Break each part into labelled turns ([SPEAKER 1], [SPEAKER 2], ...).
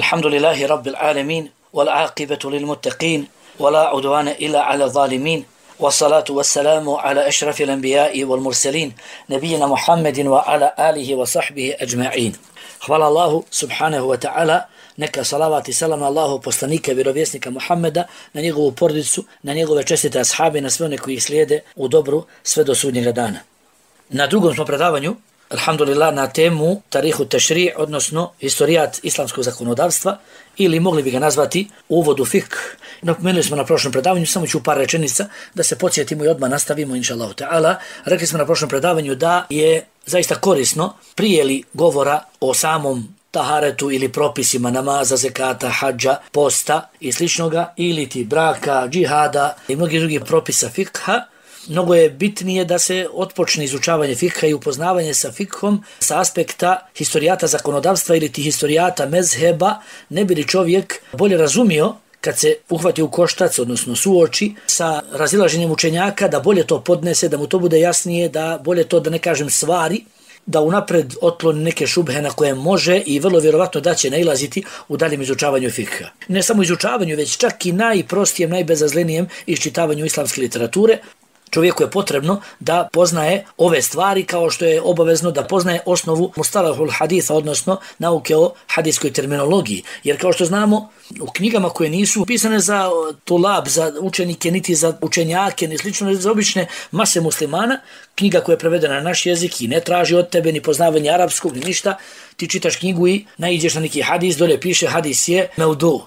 [SPEAKER 1] الحمد لله رب العالمين والعاقبة للمتقين ولا عدوان إلا على الظالمين والصلاة والسلام على أشرف الأنبياء والمرسلين نبينا محمد وعلى آله وصحبه أجمعين. Hvala Allahu subhanahu wa ta'ala, neka salavat i salam na Allahu poslanika, vjerovjesnika Muhammeda, na njegovu porodicu, na njegove čestite ashabe, na sve one koji ih slijede u dobru sve do sudnjega dana. Na drugom smo predavanju, alhamdulillah, na temu tarihu tešri', odnosno historijat islamskog zakonodavstva, ili mogli bi ga nazvati uvod u fikh. Napomenuli smo na prošlom predavanju, samo ću par rečenica da se podsjetimo i odmah nastavimo, inša Allahu ta'ala. Rekli smo na prošlom predavanju da je zaista korisno prije li govora o samom taharetu ili propisima namaza, zekata, hadža, posta i sličnoga, ili ti braka, džihada i mnogi drugi propisa fikha, mnogo je bitnije da se otpočne izučavanje fikha i upoznavanje sa fikhom sa aspekta historijata zakonodavstva ili ti historijata mezheba, ne bi li čovjek bolje razumio kad se uhvati u koštac, odnosno suoči sa razilaženjem učenjaka, da bolje to podnese, da mu to bude jasnije, da bolje to, da ne kažem, stvari, da unapred otkloni neke šubhe na koje može i vrlo vjerovatno da će nailaziti u daljem izučavanju fikha. Ne samo izučavanju, već čak i najprostijem, najbezazlenijem iščitavanju islamske literature. Čovjeku je potrebno da poznaje ove stvari, kao što je obavezno da poznaje osnovu mustalahul haditha, odnosno nauke o hadijskoj terminologiji. Jer kao što znamo, u knjigama koje nisu pisane za tulab, za učenike, niti za učenjake, ni slično, za obične mase muslimana, knjiga koja je prevedena na naš jezik i ne traži od tebe ni poznavanje arapskog, ni ništa, ti čitaš knjigu i naiđeš na neki hadis, dolje piše hadis je mevdu.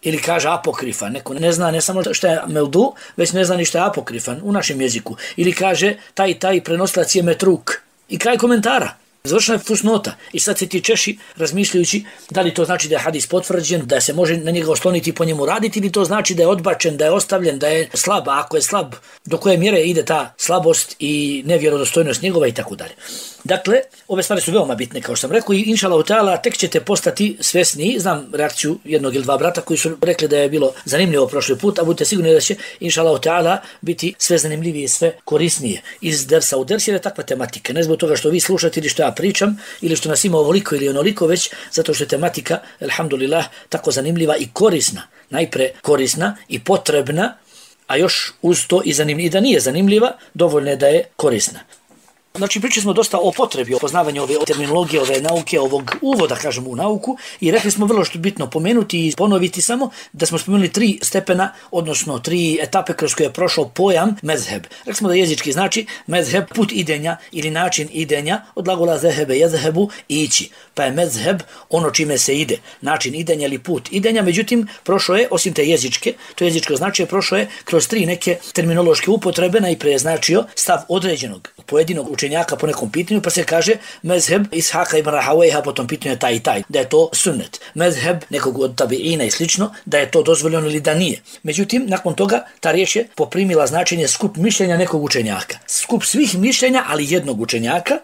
[SPEAKER 1] Ili kaže apokrifan, neko ne zna ne samo što je mevdu, već ne zna ni što je apokrifan u našem jeziku. Ili kaže taj prenosilac je metruk. I kraj komentara. Završena je fusnota. I sad se ti češi razmišljajući da li to znači da je hadis potvrđen, da se može na njega osloniti i po njemu raditi, ili to znači da je odbačen, da je ostavljen, da je slab. A ako je slab, do koje mjere ide ta slabost i nevjerodostojnost njegova i tako dalje. Dakle, ove stvari su veoma bitne, kao što sam rekao, i inša Allahu ta'ala tek ćete postati svjesni. Znam reakciju jednog ili dva brata koji su rekli da je bilo zanimljivo prošli put, a budite sigurni da će inša Allahu ta'ala biti sve zanimljivije i sve korisnije iz dersa u ders, jer je takva tematika. Ne zbog toga što vi slušate ili što ja pričam, ili što nas ima ovoliko ili onoliko, već zato što je tematika, alhamdulillah, tako zanimljiva i korisna. Najpre korisna i potrebna, a još uz to i zanimljiva. I da nije zanimljiva, dovoljno je da je korisna. Znači, pričali smo dosta o potrebi, o poznavanju ove terminologije, ove nauke, ovog uvoda, kažemo, u nauku, i rekli smo vrlo što je bitno pomenuti i ponoviti samo da smo spomenuli 3 stepena, odnosno 3 etape kroz koje je prošao pojam mezheb. Rekli smo da jezički znači mezheb, put idenja ili način idenja, od glagola zehebe, jezhebu, ići. Pa je mezheb ono čime se ide, način idenja ili put idenja, međutim, prošao je, osim te jezičke, to jezičko značije, prošao je kroz 3 neke terminološke upotrebe, najprije značio stav određenog pojedinog učenjaka po nekom pitanju, pa se kaže mezheb Ishaka ibn Rahawayha po tom pitanju je taj i taj, da je to sunnet. Mezheb nekog od tabiina i slično, da je to dozvoljeno ili da nije. Međutim, nakon toga ta riječ je poprimila značenje skup mišljenja nekog učenjaka. Skup svih mišljenja, ali jednog učenjaka.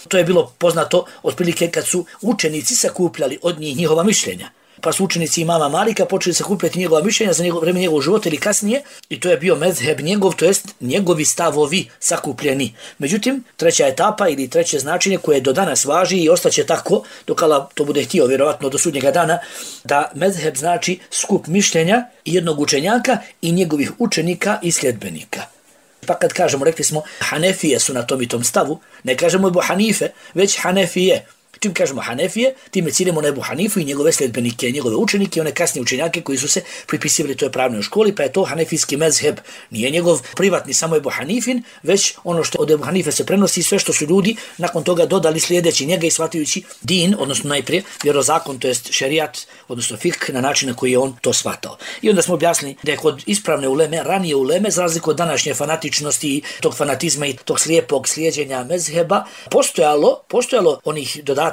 [SPEAKER 1] To je bilo poznato otprilike kad su učenici sakupljali od njih njihova mišljenja. Pa su učenici imama Malika počeli sakupljati njegova mišljenja za vreme njegovog života ili kasnije, i to je bio mezheb njegov, to jest njegovi stavovi sakupljeni. Međutim, treća etapa ili treće značenje koje do danas važi i ostaće tako dok Allah to bude htio, vjerovatno do sudnjega dana, da mezheb znači skup mišljenja jednog učenjaka i njegovih učenika i sljedbenika. Pa kad kažemo, rekli smo, Hanefije su na tom i tom stavu, ne kažemo Ebu Hanife, već Hanefije. Čim kažemo Hanefije, time ciljemo na Ebu Hanifu i njegove sljedbenike, njegove učenike, one kasnije učenjake koji su se pripisivali toj pravnoj školi, pa je to hanefijski mezheb. Nije njegov privatni samo Ebu Hanifin, već ono što od Ebu Hanife se prenosi, sve što su ljudi nakon toga dodali slijedeći njega i shvatajući din, odnosno najprije vjerozakon, to jest šerijat, odnosno fikh, na način na koji je on to shvatao. I onda smo objasnili da je kod ispravne uleme, ranije uleme, za razliku od današnje fanatičnosti i tog fanatizma i tog slijepog slijeđenja mezheba, postojalo onih dodataka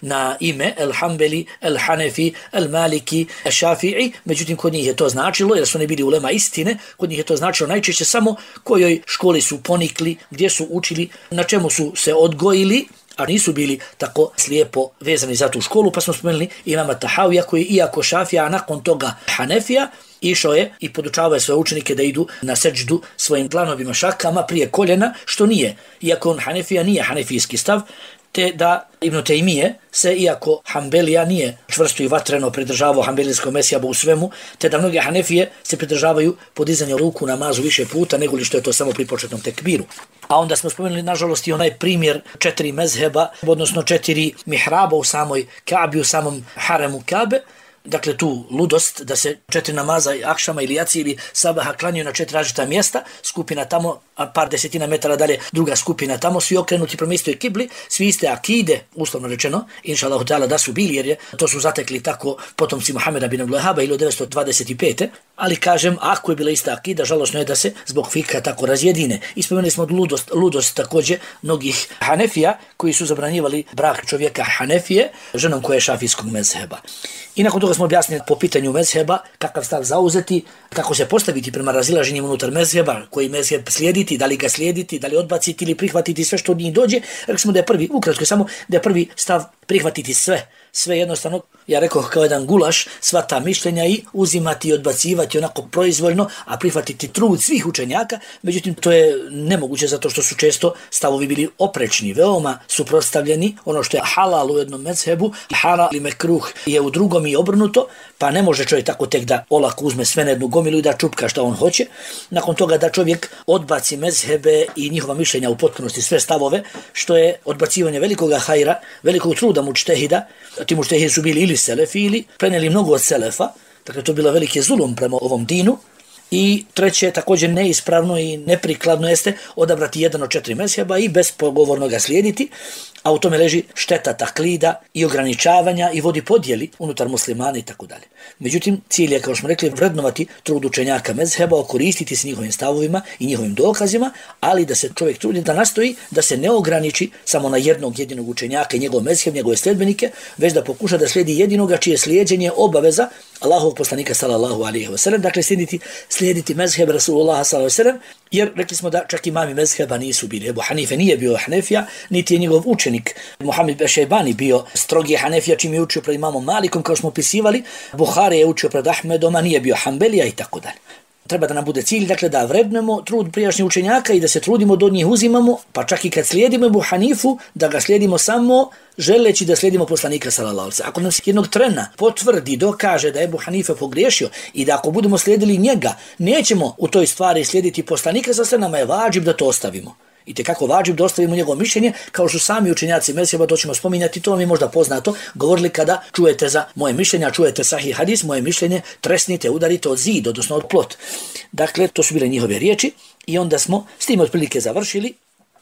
[SPEAKER 1] na ime El Hanbeli, El Hanefi, El Maliki, El Šafi'i, međutim kod njih je to značilo, jer su oni bili ulema istine, kod njih je to značilo najčešće samo kojoj školi su ponikli, gdje su učili, na čemu su se odgojili, a nisu bili tako slijepo vezani za tu školu, pa smo spomenuli imama Tahavija koji iako Šafija, a nakon toga Hanefija, išao je i podučavao svoje učenike da idu na seđdu svojim dlanovima šakama prije koljena, što nije. Iako on Hanefija nije hanefijski stav, te da Ibn Tejmije se, iako Hanbelija nije čvrsto i vatreno pridržavao hanbelijskog mezheba u svemu, te da mnoge Hanefije se pridržavaju podizanja ruku na namazu više puta nego li što je to samo pri početnom tekbiru. A onda smo spomenuli nažalost i onaj primjer 4 mezheba, odnosno 4 mihraba u samoj Kabi, u samom haremu Kabe. Dakle, tu ludost da se 4 namaza akšama ili jaci ili sabaha klanjaju na 4 različita mjesta, skupina tamo, a par desetina metara dalje druga skupina tamo, svi okrenuti prema istoj kibli, svi iste akide, uslovno rečeno, inša Allahu ta'ala da su bili, jer to su zatekli tako potomci Muhameda bin Abdul Wahhaba 1925. Ali kažem, ako je bila ista akida, žalosno je da se zbog fikha tako razjedine. Ispomenuli smo ludost također mnogih Hanefija koji su zabranjivali brak čovjeka Hanefije ženom koja je šafijskog mezheba. I nakon toga smo objasnili po pitanju mezheba kakav stav zauzeti, kako se postaviti prema razilaženjima unutar mezheba, koji mezheb slijediti, da li ga slijediti, da li odbaciti ili prihvatiti sve što od njih dođe. Rekli smo da je prvi, ukratko samo, da je prvi stav prihvatiti sve jednostavno, ja rekao kao jedan gulaš, sva ta mišljenja i uzimati i odbacivati onako proizvoljno, a prihvatiti trud svih učenjaka. Međutim, to je nemoguće zato što su često stavovi bili oprečni, veoma suprotstavljeni. Ono što je halal u jednom mezhebu, haram ili mekruh je u drugom i obrnuto, pa ne može čovjek tako tek da olako uzme sve na jednu gomilu i da čupka šta on hoće. Nakon toga da čovjek odbaci mezhebe i njihova mišljenja u potpunosti, sve stavove, što je odbacivanje velikoga hajra, velikog truda mučtehida. Ti mučtehidi su bili ili selefi ili prenijeli mnogo od selefa, dakle to je bilo veliki zulum prema ovom dinu. I treće, također neispravno i neprikladno jeste odabrati jedan od 4 mezheba i bespogovorno ga slijediti, a u tome leži šteta taklida i ograničavanja i vodi podjeli unutar muslimana i tako dalje. Međutim, cilj je, kao smo rekli, vrednovati trud učenjaka mezheba, koristiti se njihovim stavovima i njihovim dokazima, ali da se čovjek trudi da nastoji da se ne ograniči samo na jednog jedinog učenjaka i njegov mezheb, njegove sledbenike, već da pokuša da slijedi jedinoga čije slijeđenje obaveza Allahovog poslanika sallallahu alejhi ve sellem, dakle slijediti mezheb Rasulullah sallallahu alejhi ve sellem, jer rekli smo da čak imami mezheba nisu bili. Ebu Hanife nije bio Hanefija, niti je njegov učenik Muhammed Bešejbani bio strogi Hanefija, čim je učio pred imamom Malikom, kao smo opisivali. Buhari je učio pred Ahmedom, a nije bio Hanbelija i tako dalje. Treba da nam bude cilj, dakle, da vrednemo trud prijašnjih učenjaka i da se trudimo da od njih uzimamo, pa čak i kad slijedimo Ebu Hanifu, da ga slijedimo samo želeći da slijedimo poslanika sallallahu alejhi ve sellem. Ako nam se jednog trena potvrdi, dokaže da je Ebu Hanife pogriješio i da ako budemo slijedili njega, nećemo u toj stvari slijediti poslanika sallallahu alejhi ve sellem, nama je vađib da to ostavimo. I tekako vađib da ostavimo njegovo mišljenje, kao što sami učenjaci mezheba, to ćemo spominjati, to vam je možda poznato, govorili kada čujete za moje mišljenje, čujete sahih hadis, moje mišljenje, tresnite, udarite od zid, odnosno od plot. Dakle, to su bile njihove riječi i onda smo s tim otprilike završili,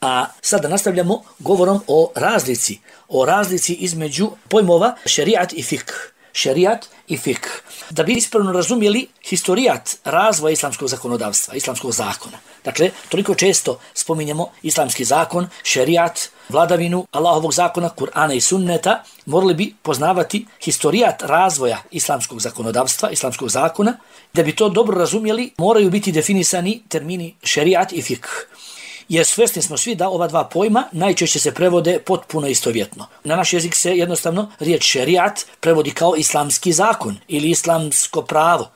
[SPEAKER 1] a sada nastavljamo govorom o razlici između pojmova šerijat i fikh. Šerijat i fikh. Da bi ispravno razumjeli historijat razvoja islamskog zakonodavstva, islamskog zakona. Dakle, toliko često spominjemo islamski zakon, šerijat, vladavinu Allahovog zakona, Kur'ana i sunneta, morali bi poznavati historijat razvoja islamskog zakonodavstva, islamskog zakona. Da bi to dobro razumjeli, moraju biti definisani termini šerijat i fikh. Jer svjesni smo svi da ova dva pojma najčešće se prevode potpuno istovjetno. Na naš jezik se jednostavno riječ šerijat prevodi kao islamski zakon ili islamsko pravo,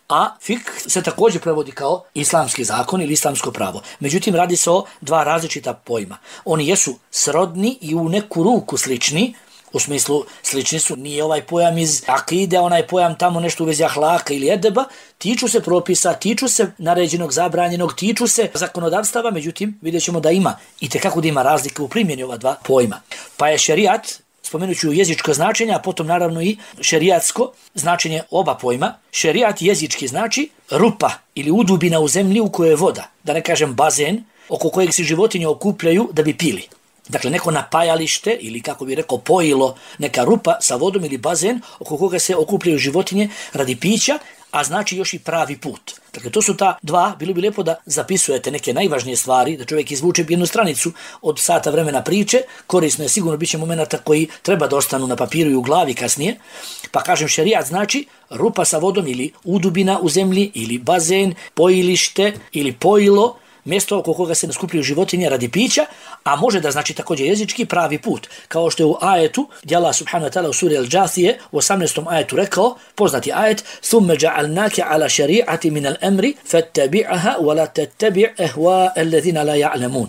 [SPEAKER 1] a fikh se također prevodi kao islamski zakon ili islamsko pravo. Međutim, radi se o dva različita pojma. Oni jesu srodni i u neku ruku slični, u smislu slični su, nije ovaj pojam iz akide, onaj pojam tamo nešto u vezi ahlaka ili edeba, tiču se propisa, tiču se naređenog, zabranjenog, tiču se zakonodavstava, međutim vidjet ćemo da ima i tekako da ima razlike u primjeni ova dva pojma. Pa je šerijat, spomenut ću jezičko značenje, a potom naravno i šerijatsko značenje oba pojma. Šerijat jezički znači rupa ili udubina u zemlji u kojoj je voda, da ne kažem bazen, oko kojeg se životinje okupljaju da bi pili. Dakle, neko napajalište ili kako bi rekao pojilo, neka rupa sa vodom ili bazen oko koga se okupljaju životinje radi pića, a znači još i pravi put. Dakle, to su ta dva, bilo bi lijepo da zapisujete neke najvažnije stvari, da čovjek izvuče jednu stranicu od sata vremena priče, korisno je, sigurno bit će momenata koji treba da ostanu na papiru i u glavi kasnije. Pa kažem, šerijat znači rupa sa vodom ili udubina u zemlji ili bazen, pojilište ili pojilo, mjesto oko koga se skupljaju životinje radi pića, a može da znači također jezički pravi put. Kao što je u ajetu, gdje Allah subhanahu wa ta'ala u suri Al-Džathije u 18. ajetu rekao, poznati ajet, ثُمَّ جَعَلْنَاكَ عَلَى شَرِيعَةٍ مِنَ الْأَمْرِ فَاتَّبِعَهَا وَلَا تَتَّبِعْ أَهْوَاءَ الَّذِينَ لَا يَعْلَمُونَ.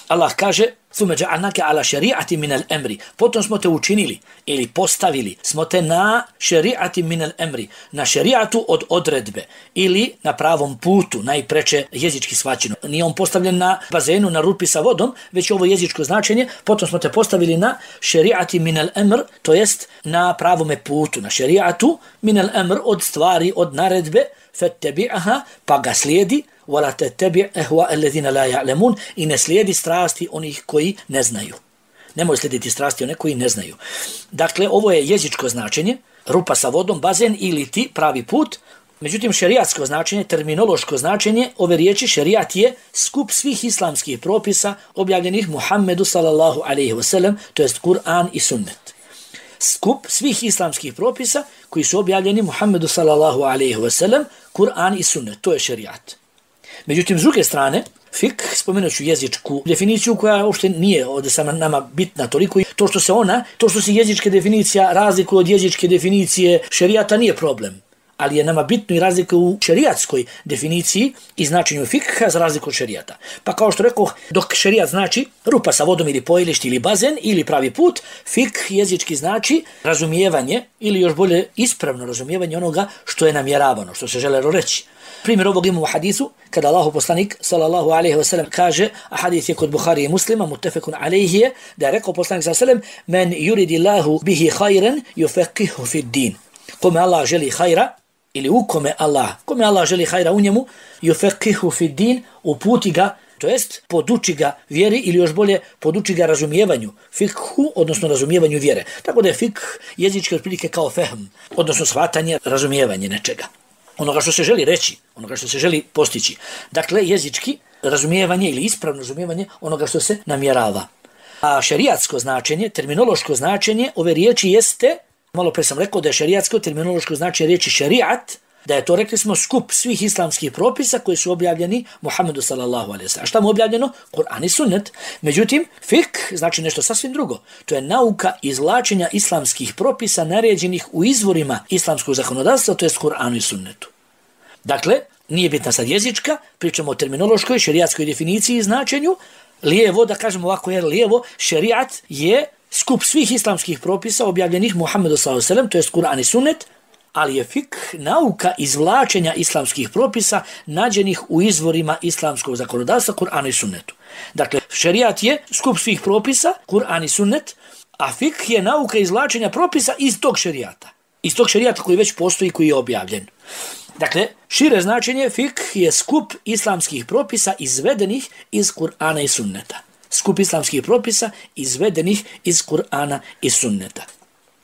[SPEAKER 1] Allah kaže, Thume ja'alnake ala šeri'ati minal emri. Potom smo te učinili ili postavili, smo te na šeri'ati minal emri, na šeri'atu od odredbe ili na pravom putu, najpreče jezički shvaćeno. Nije on postavljen na bazenu, na rupi sa vodom, već ovo jezičko značenje. Potom smo te postavili na šeri'ati minal emr, to jest na pravome putu, na šeri'atu minal emr, od stvari, od naredbe, fattabi'aha, pa ga slijedi, wala tattabi' ahwa alladhina la ya'lamun, i ne slijedi strasti onih koji ne znaju. Nemoj slijediti strasti onih koji ne znaju. Dakle, ovo je jezičko značenje, rupa sa vodom, bazen ili ti pravi put. Međutim, šerijatsko značenje, terminološko značenje ove riječi šerijat je skup svih islamskih propisa objavljenih Muhammedu sallallahu alejhi ve sellem, to jest Kur'an i sunnet. Skup svih islamskih propisa koji su objavljeni Muhammedu sallallahu alejhi ve sellem, Kur'an i sunnet, to je šerijat. Međutim, s druge strane, fik, spomenut ću jezičku definiciju koja uopšte nije ovdje sama nama bitna toliko, i to što se jezička definicija razlikuje od jezičke definicije šerijata nije problem, ali je nama bitno i razlika u šerijatskoj definiciji i značenju fikha za razliku od šerijata. Pa kao što rekoh, dok šerijat znači rupa sa vodom ili pojilište ili bazen ili pravi put, fik jezički znači razumijevanje ili još bolje ispravno razumijevanje onoga što je namjeravano, što se želelo reći. Primjer ovog imamo u hadisu, kada Allahu poslanik sallallahu alejhi ve sellem kaže, a hadis je kod Buhari i Muslima, muttefekun alejhi je, da je rekao poslanik sallallahu alejhi ve sellem, men yuridillahu bihi khayran yufaqihu fid din. Kome Allah želi hajra, ili u kome Allah želi hajra u njemu, yufaqihu fid din, uputi ga, to jest poduči ga vjeri ili još bolje poduči ga razumijevanju, fikhu, odnosno razumijevanju vjere. Tako da je fikh jezički otprilike kao fehm, odnosno shvatanje, razumijevanje nečega. Onoga što se želi reći, onoga što se želi postići. Dakle, jezički razumijevanje ili ispravno razumijevanje onoga što se namjerava. A šerijatsko značenje, terminološko značenje ove riječi jeste, malo pre sam rekao da je šerijatsko terminološko značenje riječi šerijat, da je to, rekli smo, skup svih islamskih propisa koji su objavljeni Muhammedu sallallahu alejhi ve sellem. A šta mu objavljeno? Kur'an i sunnet. Međutim, fik znači nešto sasvim drugo. To je nauka izvlačenja islamskih propisa naređenih u izvorima islamskog zakonodavstva, to jest Kur'anu i sunnetu. Dakle, nije bitna sad jezička, pričamo o terminološkoj, šerijatskoj definiciji i značenju. Lijevo, da kažemo ovako, jer lijevo, šerijat je skup svih islamskih propisa objavljenih Muhammedu sallallahu alejhi ve sellem, to jest Kur'an i sunnet, ali je fik nauka izvlačenja islamskih propisa nađenih u izvorima islamskog zakonodavstva, Kur'anu i sunnetu. Dakle, šerijat je skup svih propisa, Kur'an i sunnet, a fik je nauka izvlačenja propisa iz tog šerijata. Iz tog šerijata koji već postoji, koji je objavljen. Dakle, šire značenje, fik je skup islamskih propisa izvedenih iz Kur'ana i sunneta. Skup islamskih propisa izvedenih iz Kur'ana i sunneta.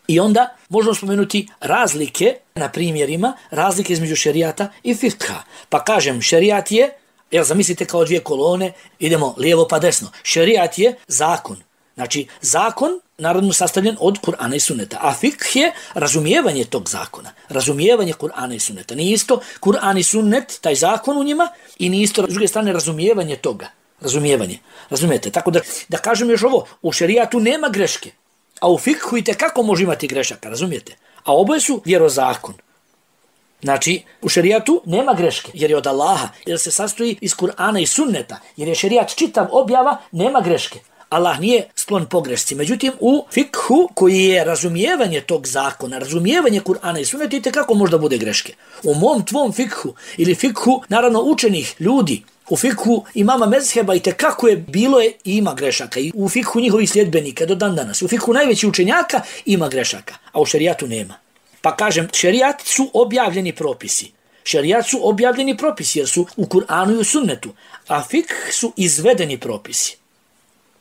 [SPEAKER 1] I onda možemo spomenuti razlike na primjerima, razlike između šerijata i fikha. Pa kažem, šerijat je, jer zamislite kao dvije kolone, idemo lijevo pa desno. Šerijat je zakon. Znači, zakon naravno sastavljen od Kur'ana i sunneta. A fikh je razumijevanje tog zakona. Razumijevanje Kur'ana i sunneta. Nije isto Kur'an i sunnet, taj zakon u njima, i nije isto s druge strane razumijevanje toga. Razumijevanje. Razumijete? Tako da kažem još ovo, u šerijatu nema greške. A u fikhu itekako može imati grešaka, razumijete? A oboje su vjerozakon. Znači, u šerijatu nema greške, jer je od Allaha, jer se sastoji iz Kur'ana i sunneta, jer je šerijat čitav objava, nema greške. Allah nije sklon pogrešci. Međutim, u fikhu, koji je razumijevanje tog zakona, razumijevanje Kur'ana i sunneta, itekako možda bude greške. U mom tvom fikhu, ili fikhu, naravno, učenih ljudi, u fikhu imama mezheba itekako je bilo je i ima grešaka. I u fikhu njihovih sljedbenika do dan danas. U fikhu najveći učenjaka ima grešaka, a u šerijatu nema. Pa kažem, šerijat su objavljeni propisi. Šerijat su objavljeni propisi jer su u Kur'anu i u sunnetu, a fikh su izvedeni propisi.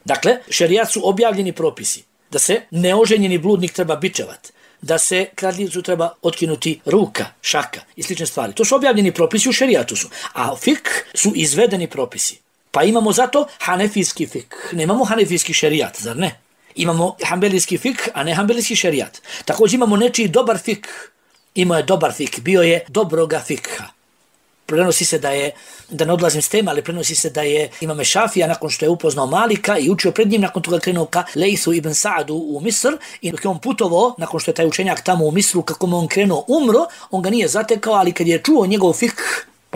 [SPEAKER 1] Dakle, šerijat su objavljeni propisi. Da se neoženjeni bludnik treba bičevat, da se kradljivcu treba otkinuti ruka, šaka i slične stvari. To su objavljeni propisi, u šerijatu su. A fikh su izvedeni propisi. Pa imamo zato hanefijski fikh. Nemamo hanefijski šerijat, zar ne? Imamo hanbelijski fikh, a ne hanbelijski šerijat. Također imamo nečiji dobar fikh. Imao je dobar fikh, bio je dobroga fikha. Prenosi se da ne odlazim s tema, ali prenosi se da je Imam Šafija nakon što je upoznao Malika i učio pred njim, nakon toga krenuo ka Lejthu ibn Sa'adu u Misr, i dok je on putovao, nakon što je taj učenjak tamo u Misru, kako mu on krenuo umro, on ga nije zatekao, ali kad je čuo njegov fikh,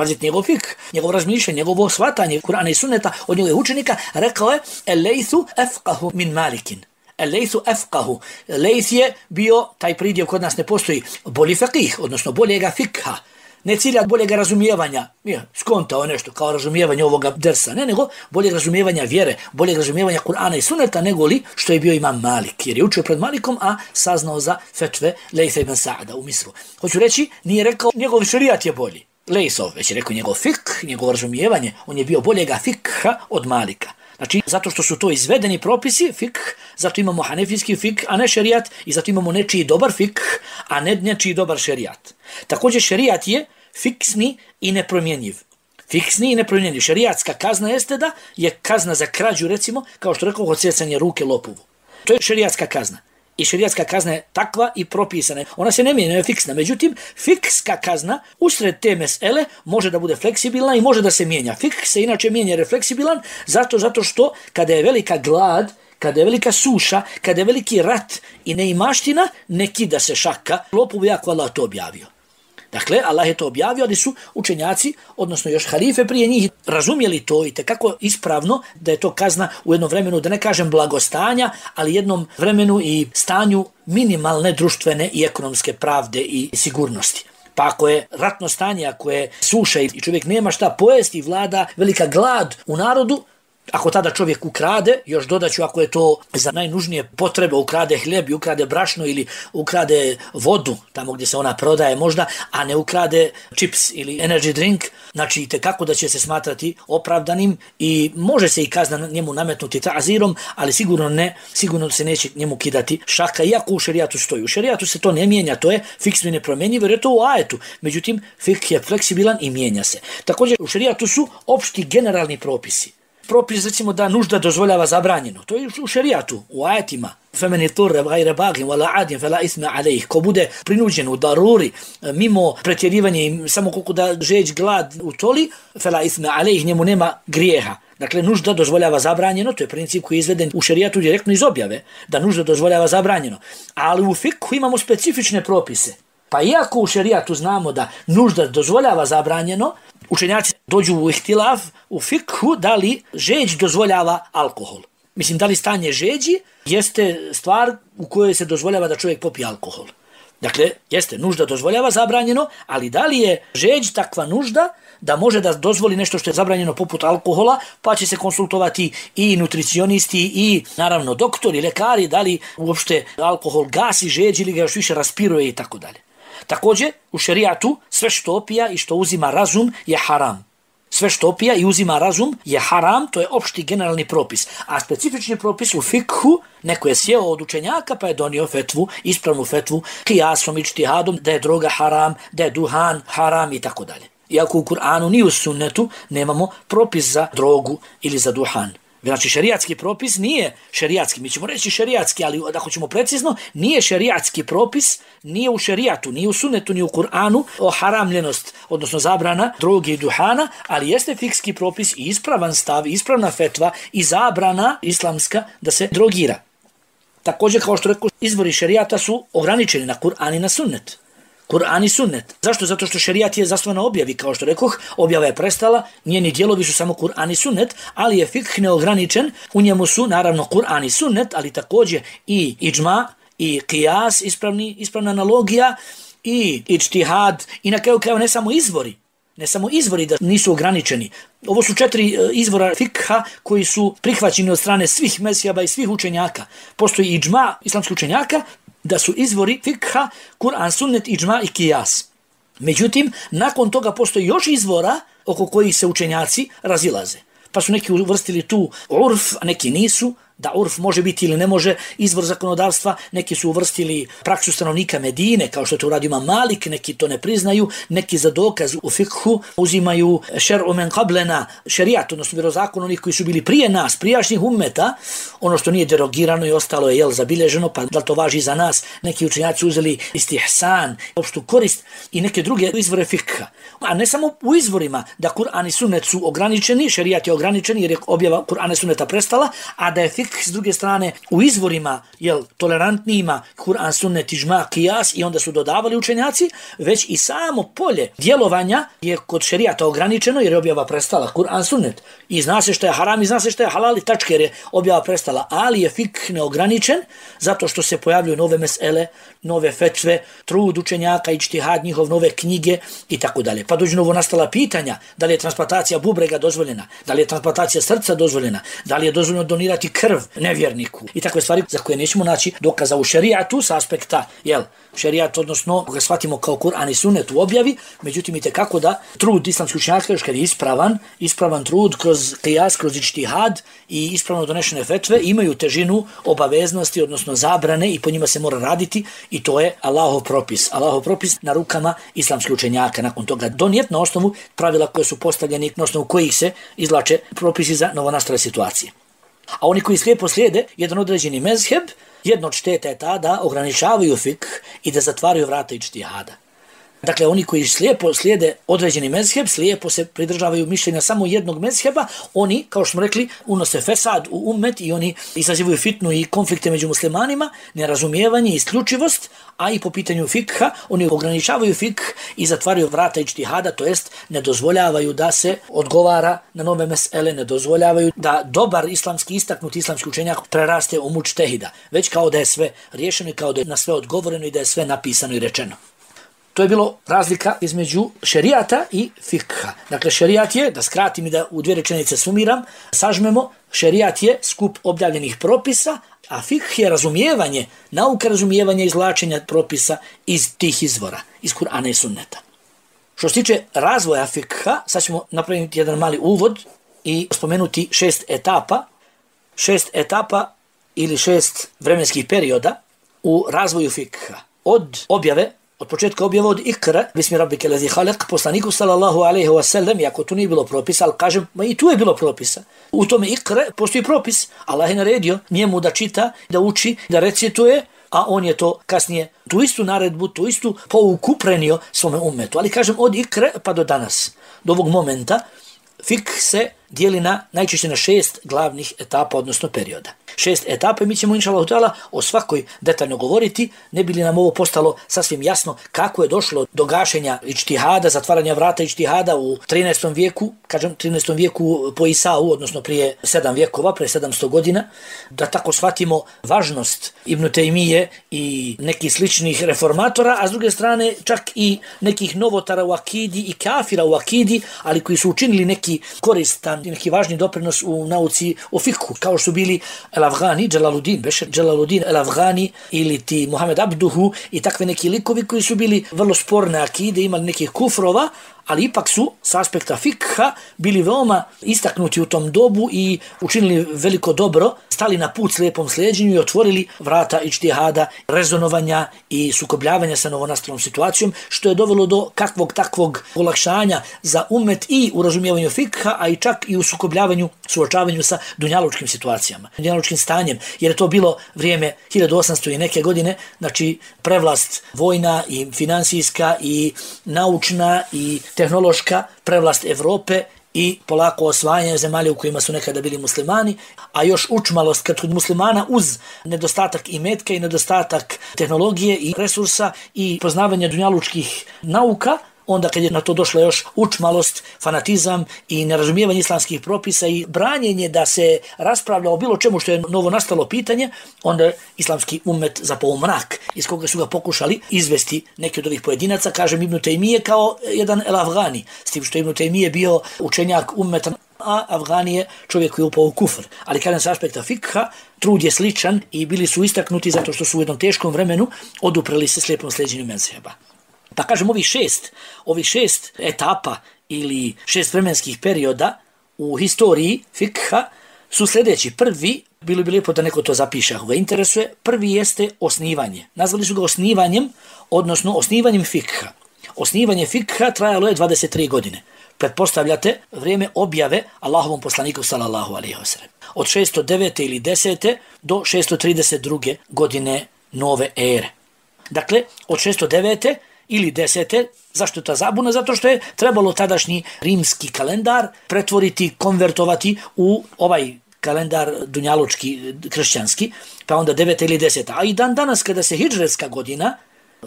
[SPEAKER 1] pazite, njegov fik, njegov razmišljanje, njegovo shvatanje Kur'ana i sunneta od njegovih učenika, rekao je Lejthu afqahu min Malikin. Lejthu afqahu. Lejth je bio, taj pridjev kod nas ne postoji, bolji faqih, odnosno boljega fikha. Ne cilja boljega razumijevanja, skontao nešto kao razumijevanje ovoga dersa, ne, nego boljeg razumijevanja vjere, boljeg razumijevanja Kur'ana i sunneta, nego li što je bio imam Malik, jer je učio pred Malikom, a saznao za fetve Lejtha ibn Sa'da u Misru. Hoću reći, nije rekao njegov šerijat je bolji, Lejthov, već je rekao njegov fik, njegovo razumijevanje, on je bio boljega fikha od Malika. Znači, zato što su to izvedeni propisi, fik, zato imamo hanefijski fik, a ne šerijat, i zato imamo nečiji dobar fik, a ne nečiji dobar šerijat. Također, šerijat je fiksni i nepromjenjiv. Fiksni i nepromjenjiv. Šerijatska kazna jeste da je kazna za krađu, recimo, kao što rekao, odsjecanje ruke lopovu. To je šerijatska kazna. I šerijatska kazna je takva i propisana. Ona se ne mijenja, je fiksna. Međutim, fikska kazna usred te mesele može da bude fleksibilna i može da se mijenja. Fik se inače mijenja jer je fleksibilan zato što kada je velika glad, kada je velika suša, kada je veliki rat i neimaština, ne kida se šaka. Lopovu jako Allah to objavio. Dakle, Allah je to objavio, ali su učenjaci, odnosno još halife prije njih, razumjeli to i tekako ispravno da je to kazna u jednom vremenu, da ne kažem blagostanja, ali jednom vremenu i stanju minimalne društvene i ekonomske pravde i sigurnosti. Pa ako je ratno stanje, ako je suša i čovjek nema šta pojesti i vlada velika glad u narodu, ako tada čovjek ukrade, još dodaću ako je to za najnužnije potrebe, ukrade hljeb i ukrade brašno ili ukrade vodu, tamo gdje se ona prodaje možda, a ne ukrade čips ili energy drink, znači tekako da će se smatrati opravdanim i može se i kazna njemu nametnuti ta'zirom, ali sigurno se neće njemu kidati šaka, iako u šerijatu stoji. U šerijatu se to ne mijenja, to je fiksno i nepromjenjivo, jer je to u ajetu. Međutim, fik je fleksibilan i mijenja se. Također, u šerijatu su opšti generalni propisi. Propis, recimo, da nužda dozvoljava zabranjeno. To je u šerijatu, u ajetima. Femeni turre, gajre bagim, wala adim, fela isme alejih. Ko bude prinuđen u daruri, mimo pretjerivanja i samo koliko da žeć glad utoli, fela isme alejih, njemu nema grijeha. Dakle, nužda dozvoljava zabranjeno, to je princip koji je izveden u šerijatu direktno iz objave, da nužda dozvoljava zabranjeno. Ali u fikhu imamo specifične propise. Pa iako u šerijatu znamo da nužda dozvoljava zabranjeno, učenjaci dođu u ihtilaf u fikhu da li žeđ dozvoljava alkohol. Mislim, da li stanje žeđi jeste stvar u kojoj se dozvoljava da čovjek popije alkohol. Dakle, jeste, nužda dozvoljava zabranjeno, ali da li je žeđ takva nužda da može da dozvoli nešto što je zabranjeno poput alkohola, pa će se konsultovati i nutricionisti i naravno doktori, lekari, da li uopšte alkohol gasi žeđ ili ga još više raspiruje i tako dalje. Također, u šerijatu sve što opija i što uzima razum je haram. Sve što opija i uzima razum je haram, to je opšti generalni propis. A specifični propis u fikhu, neko je sjeo od učenjaka pa je donio fetvu, ispravnu fetvu, kijasom i ijtihadom, da je droga haram, da je duhan haram i tako dalje. Iako u Kur'anu ni u sunnetu nemamo propis za drogu ili za duhan. Znači, šerijatski propis nije šerijatski, mi ćemo reći šerijatski, ali da hoćemo precizno, nije šerijatski propis, nije u šerijatu, nije u sunnetu, nije u Kur'anu o haramljenost, odnosno zabrana droge i duhana, ali jeste fikski propis i ispravan stav, ispravna fetva i zabrana islamska da se drogira. Također, kao što rekao, izvori šerijata su ograničeni na Kur'an i na sunnet. Kur'an i sunnet. Zašto? Zato što šerijat je zasnovan na objavi, kao što rekoh, objava je prestala, njeni dijelovi su samo Kur'an i sunnet, ali je fikh neograničen, u njemu su naravno Kur'an i sunnet, ali također i iđma, i qiyas, ispravna analogija, i ijtihad, i na kraju krajeva ne samo izvori da nisu ograničeni. Ovo su 4 izvora fikha koji su prihvaćeni od strane svih mesijaba i svih učenjaka. Postoji iđma islamskih učenjaka, da su izvori fikha, Kur'an, sunnet, iđma i qiyas. Međutim, nakon toga postoji još izvora oko kojih se učenjaci razilaze. Pa su neki uvrstili tu urf, a neki nisu, da urf može biti ili ne može izvor zakonodavstva, neki su uvrstili praksu stanovnika Medine, kao što to uradio imam Malik, neki to ne priznaju, neki za dokaz u fikhu uzimaju šer'u men qablena, šerijat, odnosno vjerozakon onih koji su bili prije nas, prijašnjih ummeta, ono što nije derogirano i ostalo je zabilježeno, pa da to važi za nas, neki učenjaci uzeli istihsan, opštu korist i neke druge izvore fikha. A ne samo u izvorima da Kur'an i sunnet su ograničeni, šerijat je ograničen jer je objava Kur'ana i sunneta prestala, a da je fikh fik, s druge strane u izvorima tolerantnijima Kur'an, sunnet, iđma, kijas i onda su dodavali učenjaci, već i samo polje djelovanja je kod šerijata ograničeno jer je objava prestala, Kur'an, sunnet. I zna se što je haram i zna se što je halal i tačke jer je objava prestala, ali je fik neograničen zato što se pojavljuju nove mesele, nove fetve, trud učenjaka, iđtihad njihov, nove knjige i tako dalje. Pa dođu novo nastala pitanja, da li je transplantacija bubrega dozvoljena, da li je transplantacija srca dozvoljena, da li je dozvoljeno donirati krv nevjerniku i takve stvari za koje nećemo naći dokaza u šerijatu s aspekta, šerijat, odnosno ga shvatimo kao Kur'an i sunnet u objavi, međutim i tekako da trud islamskih učenjaka još kad je ispravan trud kroz kijas, kroz iđtihad i ispravno donešene fetve imaju težinu obaveznosti, odnosno zabrane i po njima se mora raditi i to je Allahov propis na rukama islamskih učenjaka. Nakon toga donijet na osnovu pravila koje su postavljeni, na osnovu kojih se izvlače propisi za novonastale situacije. A oni koji slijepo slijede jedan određeni mezheb, jedno od šteta je ta da ograničavaju fik i da zatvaraju vrata iđtihada. Dakle, oni koji slijepo slijede određeni mezheb, slijepo se pridržavaju mišljenja samo jednog mezheba, oni, kao što smo rekli, unose fesad u ummet i oni izazivaju fitnu i konflikte među muslimanima, nerazumijevanje, isključivost, a i po pitanju fikha, oni ograničavaju fik i zatvaraju vrata iđtihada, to jest ne dozvoljavaju da se odgovara na nove mesele, ne dozvoljavaju da dobar islamski, istaknuti islamski učenjak preraste u mučtehida, već kao da je sve riješeno i kao da je na sve odgovoreno i da je sve napisano i rečeno. To je bilo razlika između šerijata i fikha. Dakle, šerijat je, da skratim i da u dvije rečenice sumiram, sažmemo, šerijat je skup objavljenih propisa, a fikh je razumijevanje, nauka razumijevanja izvlačenja propisa iz tih izvora, iz Kur'ana i sunneta. Što se tiče razvoja fikha, sad ćemo napraviti jedan mali uvod i spomenuti 6 etapa ili 6 vremenskih perioda u razvoju fikha. Od početka objave od Ikra, bismi rabbike lezi halak, poslaniku sallallahu alaihi wa sallam, iako tu nije bilo propisa, ali kažem, i tu je bilo propisa. U tome Ikra postoji propis. Allah je naredio njemu da čita, da uči, da recituje, a on je to kasnije, tu istu naredbu, tu istu pouku prenio svome ummetu. Ali kažem, od Ikra pa do danas, do ovog momenta, fik se dijeli najčešće na 6 glavnih etapa, odnosno perioda. 6 etapa, mi ćemo inšallahu ta'ala o svakoj detaljno govoriti, ne bi li nam ovo postalo sasvim jasno kako je došlo do gašenja iđtihada, zatvaranja vrata iđtihada u 13. vijeku, kažem 13. vijeku po Isau, odnosno prije 7 vjekova, prije 700 godina, da tako shvatimo važnost Ibn Tejmije i nekih sličnih reformatora, a s druge strane čak i nekih novotara u akidi i kafira u akidi, ali koji su učinili neki koristan i neki važni doprinos u nauci o fikhu, kao što su bili El-Afghani, Jalaluddin El-Afghani ili ti Muhammed Abduhu i takve neki likovi koji su bili vrlo sporne akide, imali nekih kufrova, ali ipak su s aspekta fikha bili veoma istaknuti u tom dobu i učinili veliko dobro, stali na put slijepom slijeđenju i otvorili vrata iđtihada, rezonovanja i sukobljavanja sa novonastalom situacijom, što je dovelo do kakvog takvog olakšanja za ummet i u razumijevanju fikha, a i čak i u sukobljavanju, suočavanju sa dunjalučkim situacijama, dunjalučkim stanjem, jer je to bilo vrijeme 1800 i neke godine, znači prevlast vojna i finansijska i naučna i tehnološka prevlast Evrope i polako osvajanje zemalja u kojima su nekada bili muslimani, a još učmalost kod muslimana uz nedostatak imetka i nedostatak tehnologije i resursa i poznavanja dunjalučkih nauka, onda kad je na to došla još učmalost, fanatizam i nerazumijevanje islamskih propisa i branjenje da se raspravlja o bilo čemu što je novo nastalo pitanje, onda je islamski ummet zapao mrak, iz koga su ga pokušali izvesti neki od ovih pojedinaca, kažem Ibn Tejmije kao jedan El-Afghani, s tim što Ibn Tejmije bio učenjak ummeta, a Afghani je čovjek koji je upao u kufr. Ali kažem s aspekta fikha, trud je sličan i bili su istaknuti zato što su u jednom teškom vremenu odupreli se slijepom sljeđenju mezheba. Pa kažem, ovih šest etapa ili 6 vremenskih perioda u historiji fikha su sljedeći. Prvi, bilo bi lijepo da neko to zapiše ako ga interesuje, prvi jeste osnivanje. Nazvali su ga osnivanjem, odnosno osnivanjem fikha. Osnivanje fikha trajalo je 23 godine. Pretpostavljate vrijeme objave Allahovom poslaniku sallallahu alejhi ve sellem. Od 609. ili 10. do 632. godine nove ere. Dakle, od 609. ili 10. Zašto je ta zabuna? Zato što je trebalo tadašnji rimski kalendar pretvoriti, konvertovati u ovaj kalendar dunjalučki, kršćanski, pa onda 9. ili 10. A i dan danas kada se hidžretska godina,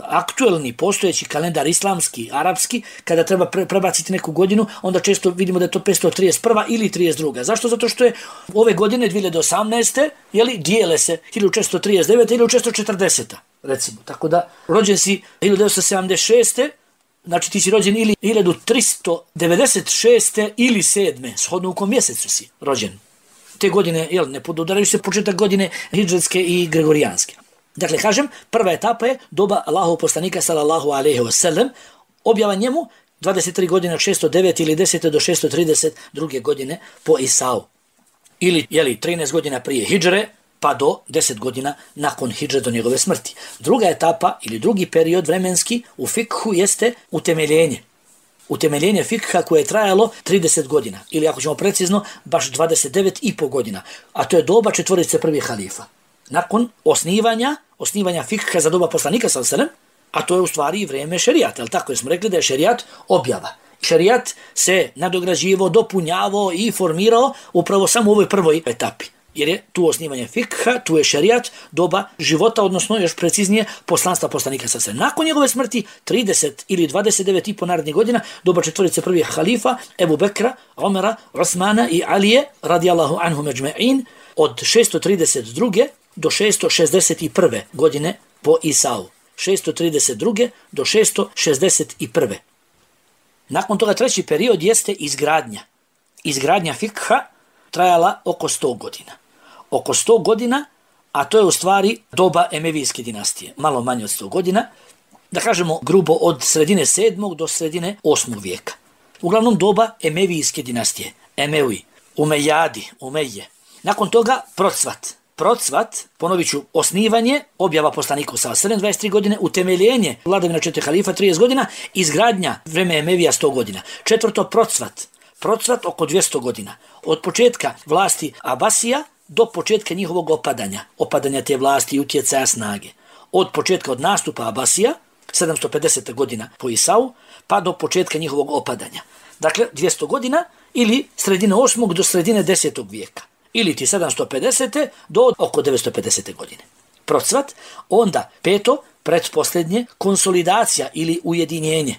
[SPEAKER 1] aktuelni postojeći kalendar islamski, arapski, kada treba prebaciti neku godinu, onda često vidimo da je to 531. ili 32. Zašto? Zato što je ove godine 2018. dijele se 1439. ili 1440. recimo. Tako da rođen si 1976. Znači ti si rođen ili 1396. ili 7. Shodno u kom mjesecu si rođen. Te godine, ne podudaraju se početak godine hidžretske i gregorijanske. Dakle, kažem, prva etapa je doba Allahovog poslanika sallallahu alejhi ve sellem, objava njemu 23 godine od 609 ili 10. do 632. godine po Isau. Ili 13 godina prije hidžre, pa do 10 godina nakon hidžre do njegove smrti. Druga etapa ili drugi period vremenski u fikhu jeste utemeljenje. Utemeljenje fikha koje je trajalo 30 godina. Ili ako ćemo precizno, baš 29,5 godina. A to je doba četvorice prvih halifa. Nakon osnivanja fikha za doba poslanika sallallahu alejhi ve sellem, a to je u stvari i vrijeme šerijata, jel tako? Jer smo rekli da je šerijat objava. Šerijat se nadograđivao, dopunjavao i formirao upravo samo u ovoj prvoj etapi. Jer je tu osnivanje fikha, tu je šerijat, doba života, odnosno još preciznije poslanstva poslanika sallallahu alejhi ve sellem. Nakon njegove smrti 30 ili 29,5 narednih godina, doba četvorice prvih halifa, Ebu Bekra, Omera, Osmana i Alije, radijallahu anhum ejma'in, od 632. do 661. godine po Isau. 632. do 661. Nakon toga treći period jeste izgradnja. Izgradnja fikha trajala oko 100 godina. Oko 100 godina, a to je u stvari doba Emevijske dinastije. Malo manje od 100 godina. Da kažemo grubo od sredine 7. do sredine 8. vijeka. Uglavnom doba Emevijske dinastije. Emevi, Umejadi, Umeje. Nakon toga procvat, ponovit ću, osnivanje, objava poslaniku sa 23 godine, utemeljenje vladavina 4 halifa 30 godina, izgradnja vreme Emevija 100 godina. Četvrto, procvat oko 200 godina. Od početka vlasti Abasija do početka njihovog opadanja te vlasti i utjecaja snage. Od nastupa Abasija, 750. godina po Isau, pa do početka njihovog opadanja. Dakle, 200 godina ili sredine 8. do sredine 10. vijeka. Ili ti 750. do oko 950. godine. Procvat, onda peto, pretposljednje, konsolidacija ili ujedinjenje.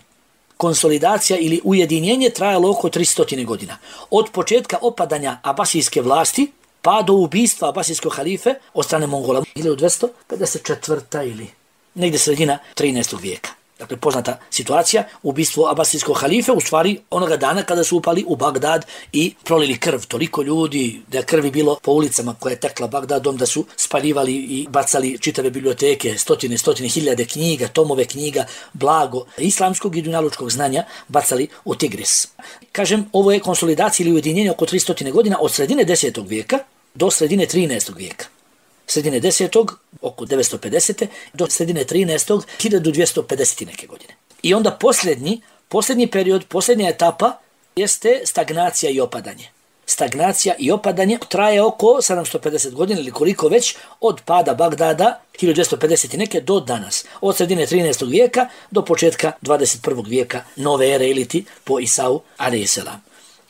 [SPEAKER 1] Konsolidacija ili ujedinjenje trajalo oko 300 godina. Od početka opadanja abasijske vlasti pa do ubistva abasijskog halife od strane Mongola. 1254. ili negdje sredina 13. vijeka. Dakle, poznata situacija, ubistvo abasijskog halife, u stvari onoga dana kada su upali u Bagdad i prolili krv. Toliko ljudi, da je krvi bilo po ulicama koja je tekla Bagdadom, da su spaljivali i bacali čitave biblioteke, stotine hiljade knjiga, tomove knjiga, blago islamskog i dunjalučkog znanja bacali u Tigris. Kažem, ovo je konsolidacija ili ujedinjenje oko 300 godina od sredine 10. vijeka do sredine 13. vijeka. Sredine 10. oko 950. do sredine 13. 1250. neke godine. I onda posljednji period, posljednja etapa jeste stagnacija i opadanje. Stagnacija i opadanje traje oko 750 godina ili koliko već od pada Bagdada 1250 neke do danas. Od sredine 13. vijeka do početka 21. vijeka nove ere iliti po Isau alejselam.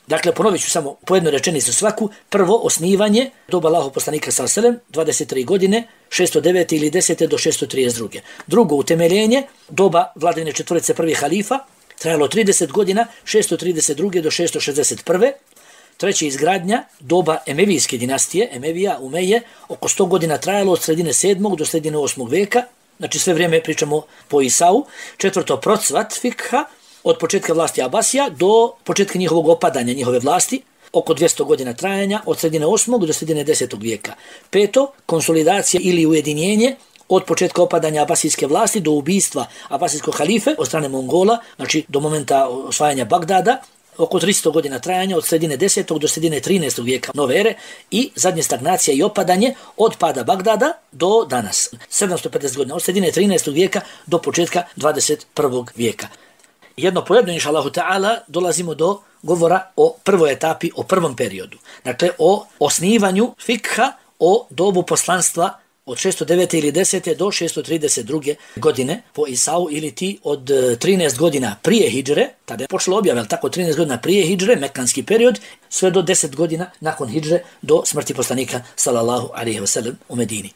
[SPEAKER 1] Dakle, ponovit ću samo po jednoj rečenici svaku. Prvo, osnivanje doba Allahovog poslanika sallallahu alejhi ve sellem, 23 godine, 609 ili 10. do 632. Drugo, utemeljenje doba vladavine četvorice prvih halifa, trajalo 30 godina, 632. do 661. Treće, izgradnja doba Emevijske dinastije, Emevija, Umeje, oko 100 godina trajalo od sredine 7. do sredine 8. vijeka, znači sve vrijeme pričamo po Isau. Četvrto, procvat fikha, od početka vlasti Abasija do početka njihovog opadanja, njihove vlasti, oko 200 godina trajanja, od sredine 8. do sredine 10. vijeka. Peto, konsolidacija ili ujedinjenje, od početka opadanja abasijske vlasti do ubistva abasijskog halife od strane Mongola, znači do momenta osvajanja Bagdada, oko 300 godina trajanja, od sredine 10. do sredine 13. vijeka nove ere, i zadnje stagnacija i opadanje od pada Bagdada do danas, 750 godina, od sredine 13. vijeka do početka 21. vijeka. Jedno po jedno, inša Allahu ta'ala, dolazimo do govora o prvoj etapi, o prvom periodu. Dakle, o osnivanju fikha, o dobu poslanstva od 609. ili 10. do 632. godine po Isau, ili ti od 13 godina prije hidžre, tada je počelo objava, ali tako 13 godina prije hidžre, mekanski period, sve do 10 godina nakon hidžre, do smrti poslanika sallallahu alejhi ve sellem u Medini.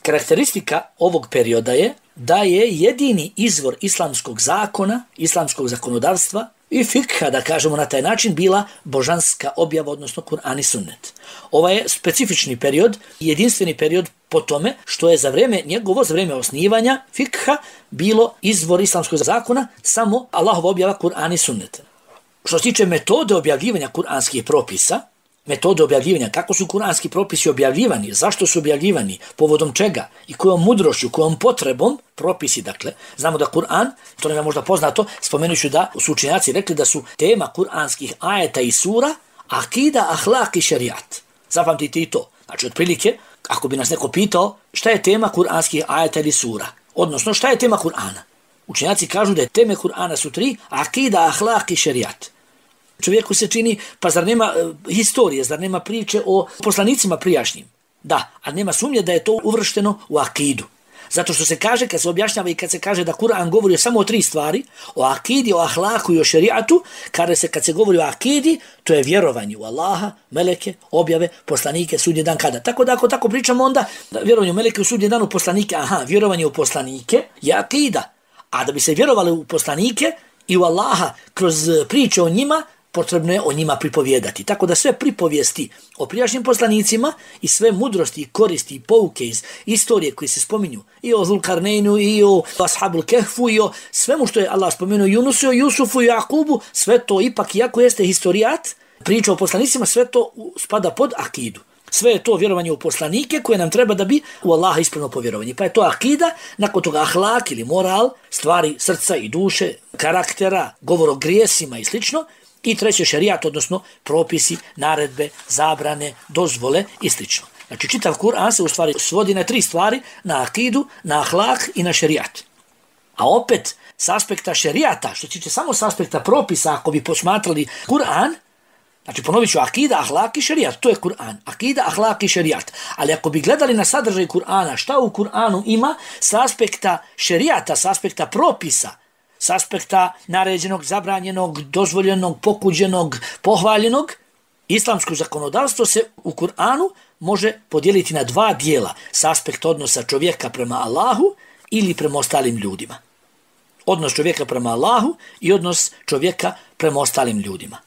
[SPEAKER 1] Karakteristika ovog perioda je da je jedini izvor islamskog zakona, islamskog zakonodavstva i fikha, da kažemo na taj način, bila božanska objava, odnosno Kur'an i sunnet. Ovaj je specifični period, jedinstveni period po tome što je za vrijeme osnivanja fikha bilo izvor islamskog zakona samo Allahova objava Kur'an i sunnet. Što se tiče metode objavljivanja kuranskih propisa, kako su kuranski propisi objavljivani, zašto su objavljivani, povodom čega i kojom mudrošću, kojom potrebom propisi, dakle. Znamo da Kur'an, to nam je možda poznato, spomenuću da su učenjaci rekli da su tema kuranskih ajeta i sura akida, ahlak i šerijat. Zapamtite i to. Znači, otprilike, ako bi nas neko pitao šta je tema kuranskih ajeta ili sura, odnosno šta je tema Kur'ana, učenjaci kažu da je teme Kur'ana su 3, akida, ahlak i šerijat. Čovjeku se čini, pa zar nema historije, zar nema priče o poslanicima prijašnjim? Da, ali nema sumnje da je to uvršteno u akidu. Zato što se kaže, kad se objašnjava i kad se kaže da Kur'an govori samo o 3 stvari, o akidi, o ahlaku i o šerijatu, kad se govori o akidi, to je vjerovanje u Allaha, meleke, objave, poslanike, sudnji dan kada. Tako da ako tako pričamo onda, vjerovanje u meleke, u sudnji dan, u poslanike, vjerovanje u poslanike je akida. A da bi se vjerovali u poslanike i u Allaha kroz priče o njima, potrebno je o njima pripovijedati. Tako da sve pripovijesti o prijašnjim poslanicima i sve mudrosti i koristi i pouke iz istorije koji se spominju i o Zulkarneinu i o Ashabul Kehfu i o svemu što je Allah spomenuo Yunusu, Jusufu i Jakubu, sve to ipak, iako jeste historijat, priča o poslanicima, sve to spada pod akidu. Sve je to vjerovanje u poslanike koje nam treba da bi u Allaha ispravno povjerovanje. Pa je to akida, nakon toga ahlak ili moral, stvari srca i duše, karaktera, govor o grijesima i slično. I treće šerijat, odnosno propisi, naredbe, zabrane, dozvole i slično. Znači čitav Kur'an se u stvari svodi na 3 stvari, na akidu, na ahlak i na šerijat. A opet, s aspekta šerijata, što tiče samo s aspekta propisa, ako bi posmatrali Kur'an, znači ponovit ću akida, ahlak i šerijat, to je Kur'an. Akida, ahlak i šerijat. Ali ako bi gledali na sadržaj Kur'ana, šta u Kur'anu ima s aspekta šerijata, s aspekta propisa, s aspekta naređenog, zabranjenog, dozvoljenog, pokuđenog, pohvaljenog, islamsko zakonodavstvo se u Kur'anu može podijeliti na 2 dijela s aspekta odnosa čovjeka prema Allahu ili prema ostalim ljudima. Odnos čovjeka prema Allahu i odnos čovjeka prema ostalim ljudima.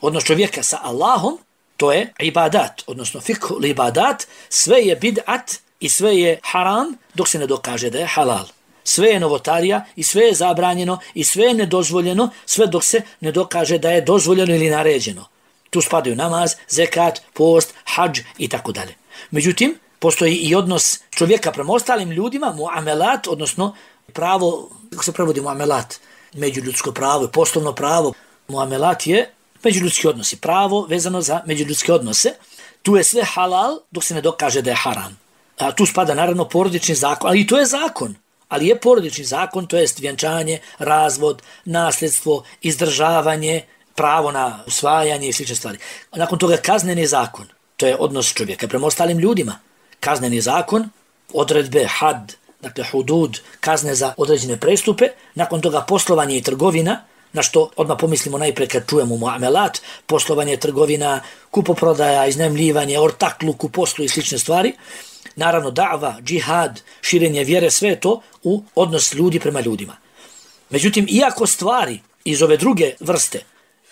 [SPEAKER 1] Odnos čovjeka sa Allahom, to je ibadat, odnosno fiqh ibadat, sve je bid'at i sve je haram dok se ne dokaže da je halal. Sve je novotarija i sve je zabranjeno i sve je nedozvoljeno, sve dok se ne dokaže da je dozvoljeno ili naređeno. Tu spadaju namaz, zekat, post, hadž i tako dalje. Međutim, postoji i odnos čovjeka prema ostalim ljudima, muamelat, odnosno pravo, kako se prevodi muamelat? Međuljudsko pravo, poslovno pravo. Muamelat je međuljudski odnosi, pravo vezano za međuljudske odnose. Tu je sve halal dok se ne dokaže da je haram. A tu spada naravno porodični zakon, ali i to je zakon. Ali je porodični zakon, to jest vjenčanje, razvod, nasljedstvo, izdržavanje, pravo na usvajanje i slične stvari. Nakon toga kazneni zakon, to je odnos čovjeka prema ostalim ljudima. Kazneni zakon, odredbe, had, dakle hudud, kazne za određene prestupe. Nakon toga poslovanje i trgovina, na što odmah pomislimo najprije kad čujemo muamelat, poslovanje, trgovina, kupoprodaja, iznajmljivanje, ortakluk u poslu i slične stvari. Naravno, da'va, džihad, širenje vjere, sve to u odnos ljudi prema ljudima. Međutim, iako stvari iz ove druge vrste,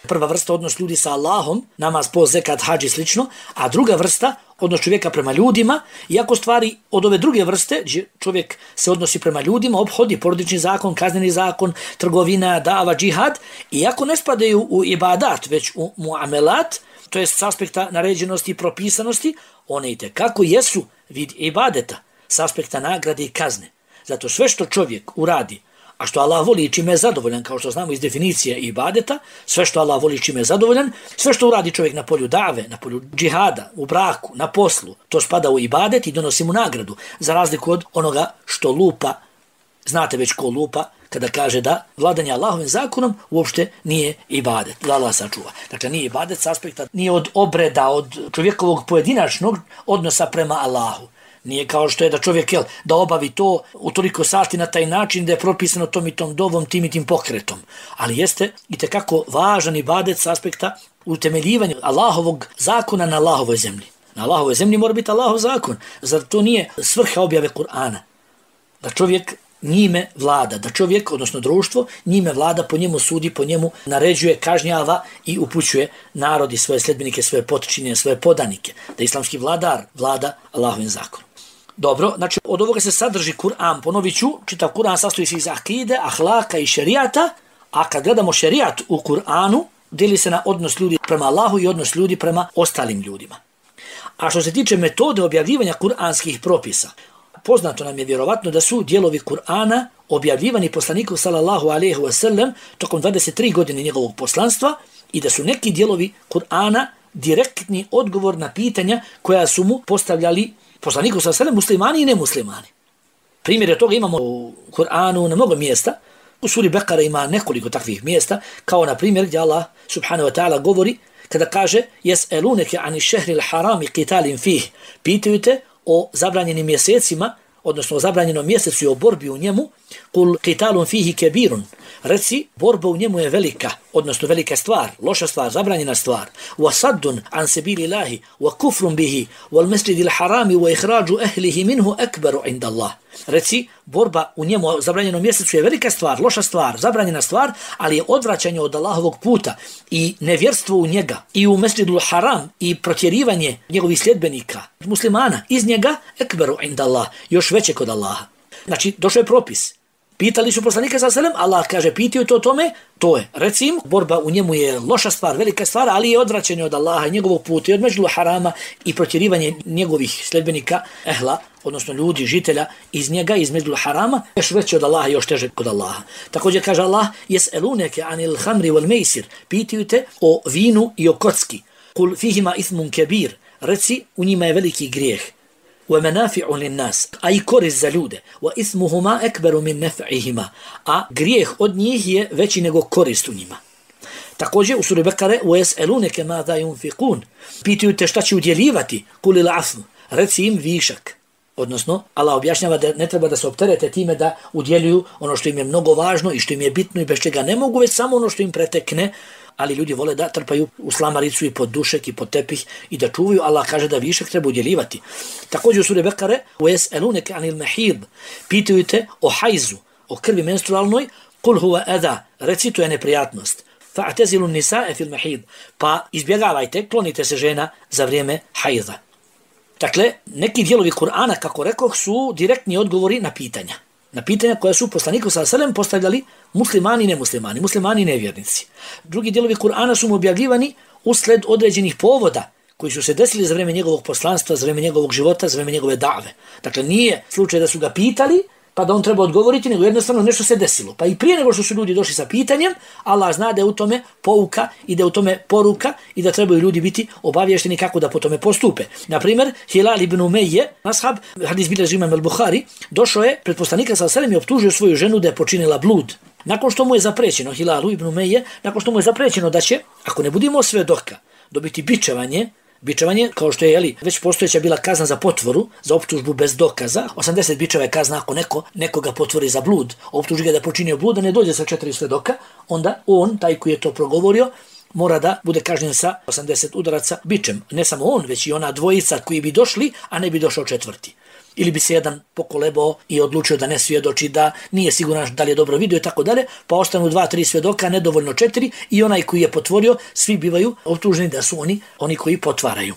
[SPEAKER 1] prva vrsta odnos ljudi sa Allahom, namaz, post, zekat, hadž i slično, a druga vrsta odnos čovjeka prema ljudima, iako stvari od ove druge vrste, čovjek se odnosi prema ljudima, obhodi porodični zakon, kazneni zakon, trgovina, da'va, džihad, iako ne spadaju u ibadat, već u muamelat, to je s aspekta naređenosti i propisanosti, one i tekako jesu vid ibadeta, s aspekta nagrade i kazne. Zato sve što čovjek uradi, a što Allah voli i čime je zadovoljan, kao što znamo iz definicije ibadeta, sve što Allah voli i čime je zadovoljan, sve što uradi čovjek na polju dave, na polju džihada, u braku, na poslu, to spada u ibadet i donosi mu nagradu, za razliku od onoga što lupa, znate već ko lupa, kada kaže da vladanje Allahovim zakonom uopšte nije ibadet, da Allah sačuva. Dakle, nije ibadet s aspekta, nije od obreda, od čovjekovog pojedinačnog odnosa prema Allahu, Nije kao što je da čovjek da obavi to u toliko sati na taj način da je propisano tom i tom dovom, tim i tim pokretom. Ali jeste itekako važan ibadet s aspekta utemeljivanja Allahovog zakona na Allahovoj zemlji. Na Allahovoj zemlji mora biti Allahov zakon. Zar to nije svrha objave Kur'ana? Da čovjek njime vlada, da čovjek, odnosno društvo, njime vlada, po njemu sudi, po njemu naređuje, kažnjava i upućuje narod i svoje sljedbenike, svoje potočine, svoje podanike. Da islamski vladar vlada Allahovim zakonom. Dobro, znači od ovoga se sadrži Kur'an, ponovit ću, čitav Kur'an sastoji se iz akide, ahlaka i šerijata, a kad gledamo šerijat u Kur'anu, dijeli se na odnos ljudi prema Allahu i odnos ljudi prema ostalim ljudima. A što se tiče metode objavljivanja kuranskih propisa, poznato nam je vjerovatno da su dijelovi Kur'ana objavljivani poslaniku sallallahu alejhi ve sellem tokom 23 godine njegovog poslanstva i da su neki dijelovi Kur'ana direktni odgovor na pitanja koja su mu postavljali poslaniku sallallahu alejhi ve sellem muslimani i nemuslimani. Primjer toga imamo u Kur'anu na mnogo mjesta. U suri Bekara ima nekoliko takvih mjesta, kao na primjer gdje Allah subhanahu wa ta'ala govori kada kaže Jes'eluneke ani šehril harami qitalin fih. Pitaju te o zabranjenim mjesecima, odnosno o zabranjenom mjesecu i o borbi u njemu, kul qitalun fihi kebirun. Reci, borba u njemu je velika, odnosno velika stvar, loša stvar, zabranjena stvar. Wa saddun an sabilillahi wa kufrun bihi wal masjidil harami wa ikhraju ahlihi minhu akbaru inda Allah. Reci, borba u njemu zabranjenom mjesecu je velika stvar, loša stvar, zabranjena stvar, ali je odvraćanje od Allahovog puta i nevjerstvo u njega i u Mesdžidul Haram i protjerivanje njegovih sljedbenika, muslimana, iz njega akbaru inda Allah, još veće kod Allaha. Znači, došao je propis. Pitali su poslanika sallallahu alejhi ve sellem, Allah kaže, pitaju to o tome, to je. Reci im, borba u njemu je loša stvar, velika stvar, ali je odvraćanje od Allaha i njegovog puta i od Mesdžidul Harama i protjerivanje njegovih sljedbenika, ehla, odnosno ljudi, žitelja iz njega, iz Mesdžidul Harama, još veće od Allaha, još teže kod Allaha. Također kaže Allah, jes'eluneke anil hamri wal meisir, pitaju te o vinu i o kocki. Kul fihima ithmun kebir, reci, u njima je veliki grijeh. وَمَنَافِعُ لِلنَّاسِ a i korist za ljude. وَإِثْمُهُمَا أَكْبَرُ مِنْ نَفْعِهِمَا a grijeh od njih je veći nego korist u njima. Također u suri Bekare وَيَسْأَلُونَكَ مَاذَا يُنْفِقُونَ pitaju te šta će udjeljivati, قُلِ الْعَفْمُ reci im višak. Odnosno, Allah objašnjava da ne treba da se opterete time da udjeljuju ono što im je mnogo važno i što im je bitno i bez čega ne mogu, već samo ono što im pretekne, ali ljudi vole da trpaju u slamaricu i pod dušek i pod tepih i da čuvaju. Allah kaže da višak treba udjeljivati. Također u suri Bekare وَيَسْأَلُونَكَ عَنِ الْمَحِيضِ pitaju te o hajzu, o krvi menstrualnoj, قُلْ هُوَ أَذَا reci to je neprijatnost. فَاعْتَزِلُوا النِّسَاءَ فِي الْمَحِيضِ pa izbjegavajte, klonite se žena za vrijeme hajza. Dakle, neki dijelovi Kur'ana, kako rekoh, su direktni odgovori na pitanja. Na pitanja koja su poslaniku sallallahu alejhi ve sellem postavljali muslimani i nemuslimani, muslimani i nevjernici. Drugi dijelovi Kur'ana su mu objavljivani usled određenih povoda koji su se desili za vrijeme njegovog poslanstva, za vrijeme njegovog života, za vrijeme njegove dave. Dakle, nije slučaj da su ga pitali, pa da on treba odgovoriti, nego jednostavno nešto se desilo. Pa i prije nego što su ljudi došli sa pitanjem, Allah zna da je u tome pouka i da je u tome poruka i da trebaju ljudi biti obavješteni kako da po tome postupe. Naprimjer, Hilal ibn Umeje, ashab, hadis bilježi imam al-Buhari, došao je pred poslanika sallallahu alejhi ve sellem i optužio svoju ženu da je počinila blud. Nakon što mu je zaprećeno, Hilalu ibn Umeje, nakon što mu je zaprećeno da će, ako ne budimo svedoka, dobiti bičevanje, kao što je već postojeća bila kazna za potvoru, za optužbu bez dokaza, 80 bičeva je kazna ako nekoga potvori za blud, optuži ga da je počinio blud, da ne dođe sa 4 svedoka, onda on, taj koji je to progovorio, mora da bude kažnjen sa 80 udaraca bičem. Ne samo on, već i ona dvojica koji bi došli, a ne bi došao četvrti. Ili bi se jedan pokolebao i odlučio da ne svjedoči, da nije siguran da li je dobro vidio i tako dalje, pa ostanu 2-3 svjedoka, nedovoljno 4 i onaj koji je potvorio, svi bivaju optuženi da su oni koji potvaraju.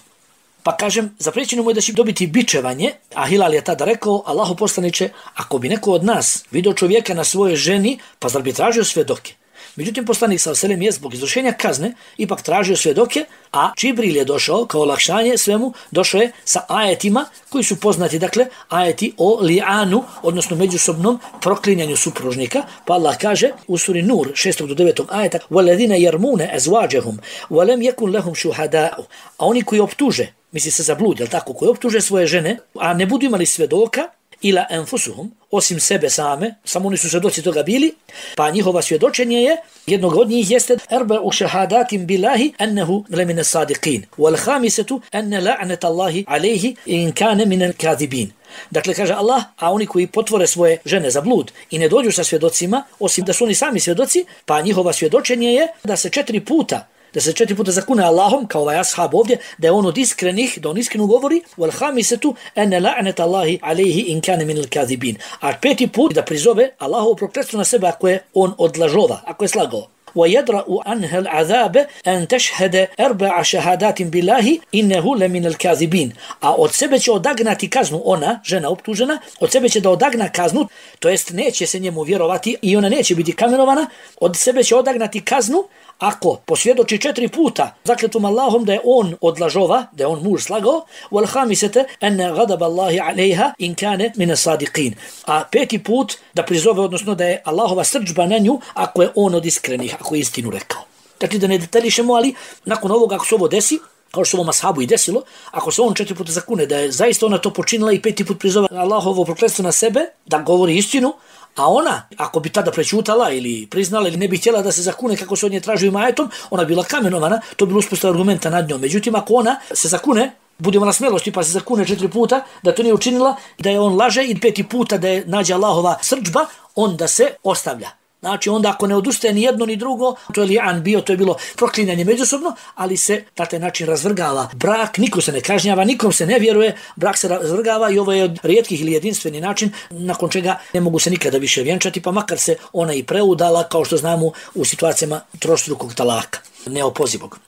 [SPEAKER 1] Pa kažem, zaprećeno mu je da će dobiti bičevanje, a Hilal je tada rekao, Allahu poslaniče, ako bi neko od nas vidio čovjeka na svojoj ženi, pa zar bi tražio svjedoke? Međutim, poslanik sallallahu alejhi ve sellem je zbog izvršenja kazne ipak tražio svjedoke, a Džibril je došao kao olakšanje svemu, došao je sa ajetima koji su poznati, dakle, ajeti o li'anu, odnosno međusobnom proklinjanju supružnika, pa Allah kaže u suri Nur 6. do 9. ajeta وَالَّذِينَ يَرْمُونَ أَزْوَاجَهُمْ وَلَمْ يَكُنْ لَهُمْ شُهَدَاءُ a oni koji optuže, misli se za blud, jel tako, koji optuže svoje žene, a ne budu imali svjedoka, ila enfusuhum, osim sebe same, samo oni su svjedoci toga bili, pa njihova svjedočenje je, jednog od njih jeste arba'u shahadatin billahi annahu lamina sadiqin, wal khamisatu anna la'nata Allahi alayhi in kana min al-kadhibin. Dakle, kaže Allah, a oni koji potvore svoje žene za blud i ne dođu sa svjedocima, osim da su oni sami svjedoci, pa njihova svjedočenje je da se 4 puta zakune Allahom, kao ovaj ashab ovdje, da je on od iskrenih, da on iskreno govori, wal khamisatu anna la'nata Allahi alayhi in kana min al-kadhibin. A 5. put da prizove Allahovo prokletstvo na sebe ako je on od lažova, ako je slagao. ويدرأ عنها العذاب أن تشهد 4 شهادات بالله إنه لمن الكاذبين. A od sebe će odagnati kaznu ona, žena optužena, od sebe će da odagna kaznu, to jest neće se njemu vjerovati i ona neće biti kamenovana, od sebe će odagnati kaznu ako posvjedoči 4 puta zakletom Allahom da je on od lažova, da je on muž slagao, wal khamisata an ghadab Allahi alayha in kana min as-sadiqin. A 5. put da prizove, odnosno da je Allahova srdžba na nju ako je on od iskrenih, ako je istinu rekao. Dakle, da ne detaljišemo, ali nakon ovoga ako se ovo desi, kao što ovom ashabu i desilo, ako se on 4 puta zakune da je zaista ona to počinila i 5. put prizove Allahovo prokletstvo na sebe, da govori istinu, a ona, ako bi tada prećutala ili priznala ili ne bi htjela da se zakune kako se od nje traži imajetom, ona bila kamenovana, to bi bilo uspostava argumenta nad njom. Međutim, ako ona se zakune, bude ona smjelosti pa se zakune 4 puta da to nije učinila, da je on laže i 5. puta da je nađe Allahova srdžba, onda se ostavlja. Znači, onda ako ne odustaje ni jedno ni drugo, to je li'an bio, to je bilo proklinjanje međusobno, ali se na taj način razvrgava brak, niko se ne kažnjava, nikom se ne vjeruje, brak se razvrgava i ovo je od rijetkih ili jedinstveni način nakon čega ne mogu se nikada više vjenčati, pa makar se ona i preudala, kao što znamo u situacijama trostrukog talaka, neopozivog.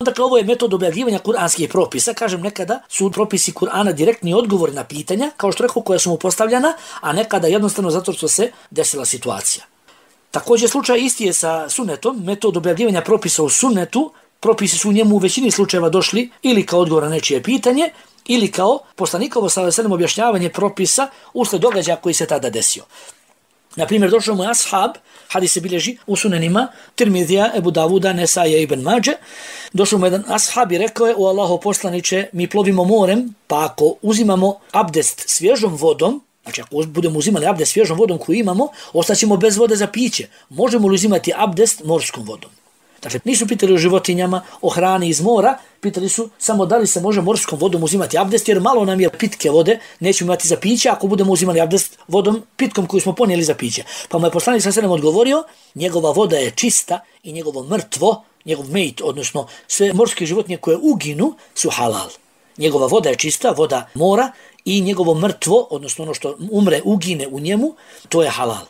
[SPEAKER 1] Dakle, ovo je metod objavljivanja kuranskih propisa. Kažem, nekada su propisi Kur'ana direktni odgovor na pitanja, kao što rekao, koja su mu postavljena, a nekada jednostavno zato što se desila situacija. Također slučaj isti je sa sunnetom, metod objavljivanja propisa u sunnetu, propisi su u njemu u većini slučajeva došli ili kao odgovor na nečije pitanje, ili kao poslanikovo sallallahu objašnjavanje propisa usled događaja koji se tada desio. Na primjer, došao mu ashab, hadis se bilježi u sunenima Tirmidija, Ebu Davuda, Nesaja i Ibn Mađe. Došao mu jedan ashab i rekao je: o Allaho poslaniče, mi plovimo morem, pa ako uzimamo abdest svježom vodom, znači ako budemo uzimali abdest svježom vodom koju imamo, ostaćemo bez vode za piće. Možemo li uzimati abdest morskom vodom? Dakle, nisu pitali o životinjama, o hrani iz mora, pitali su samo da li se može morskom vodom uzimati abdest, jer malo nam je pitke vode, nećemo imati za piće ako budemo uzimali abdest vodom pitkom koju smo ponijeli za piće. Pa mu je poslanik sallallahu alejhi ve sellem odgovorio: njegova voda je čista i njegovo mrtvo, njegov mejt, odnosno sve morske životinje koje uginu su halal. Njegova voda je čista, voda mora, i njegovo mrtvo, odnosno ono što umre, ugine u njemu, to je halal.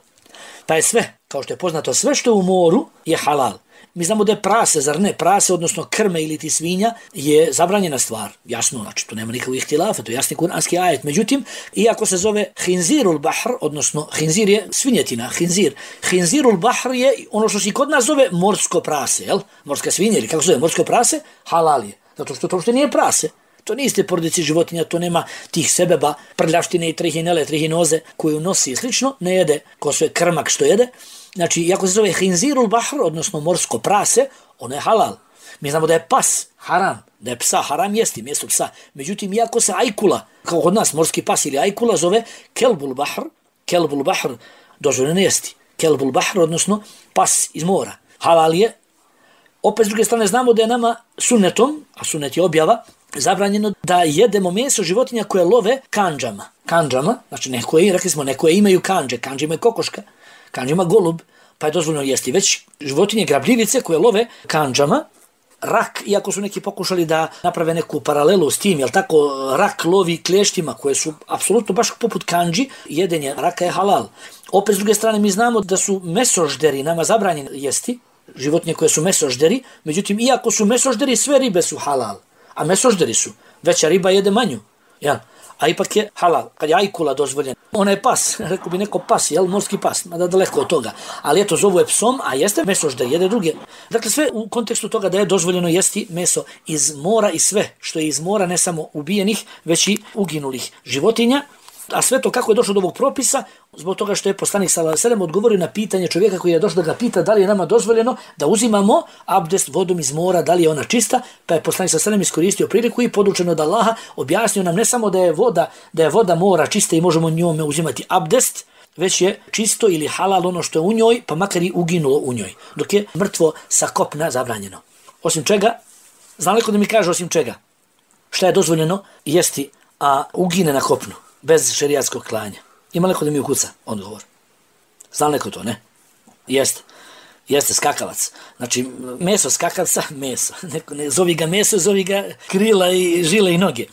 [SPEAKER 1] Pa je sve, kao što je poznato, sve što je u moru je halal. Mi znamo da je prase, zar ne? Prase, odnosno krme ili ti svinja, je zabranjena stvar. Jasno, znači, to nema nikakvih ihtilafa, to je jasni kuranski ajet. Međutim, iako se zove hinzirul bahr, odnosno hinzir je svinjetina, hinzirul bahr je ono što se kod nas zove morsko prase, jel? Morska svinja, ili kako se zove morsko prase, halal je. Zato što to uopšte nije prase. To nije iste porodice životinja, to nema tih sebeba, prljavštine i trihinele, trihinoze koju nosi i slično, ne jede ko sve krmak što jede. Znači, iako se zove hinzirul bahr, odnosno morsko prase, ono je halal. Mi znamo da je pas haram, da je psa haram jesti, mjesto psa. Međutim, iako se ajkula, kao kod nas morski pas ili ajkula, zove kelbul bahr, dozvoljeno jesti. Kelbul bahr, odnosno pas iz mora. Halal je. Opet s druge strane znamo da je nama sunnetom, a sunnet je objava, zabranjeno da jedemo meso životinja koje love kandžama. Kandžama, znači rekli smo, nekoje imaju kandže, kandže imaju kokoška, kandže ima golub, pa je dozvoljeno jesti. Već životinje grabljivice koje love kandžama, rak, iako su neki pokušali da naprave neku paralelu s tim, jel tako, rak lovi klještima koje su apsolutno baš poput kandži, jedenje raka je halal. Opet s druge strane mi znamo da su mesožderi nama zabranjeni jesti, životinje koje su mesožderi, međutim, iako su mesožderi, sve ribe su halal. A mesožderi su, veća riba jede manju, jel? A ipak je halal, kad je ajkula dozvoljena. Ona je pas, rekao bi neko pas, jel? Morski pas, mada daleko od toga. Ali eto, zovu je psom, a jeste mesožder, jede druge. Dakle, sve u kontekstu toga da je dozvoljeno jesti meso iz mora i sve što je iz mora, ne samo ubijenih, već i uginulih životinja. A sve to kako je došlo do ovog propisa? Zbog toga što je poslanik sallallahu alejhi ve sellem odgovorio na pitanje čovjeka koji je došao da ga pita da li je nama dozvoljeno da uzimamo abdest vodom iz mora, da li je ona čista, pa je poslanik sallallahu alejhi ve sellem iskoristio priliku i podučen od Allaha objasnio nam ne samo da je voda mora čista i možemo njome uzimati abdest, već je čisto ili halal ono što je u njoj, pa makar i uginulo u njoj, dok je mrtvo sa kopna zabranjeno. Osim čega, zna li ko da mi kaže osim čega? Šta je dozvoljeno jesti, a ugine na kopnu, bez šerijatskog klanja? Ima li ko da mi ukuca odgovor? Zna li ko to, ne? Jeste skakavac. Znači, meso skakavca, meso. Ne zovi ga meso, zovi ga krila i žile i noge.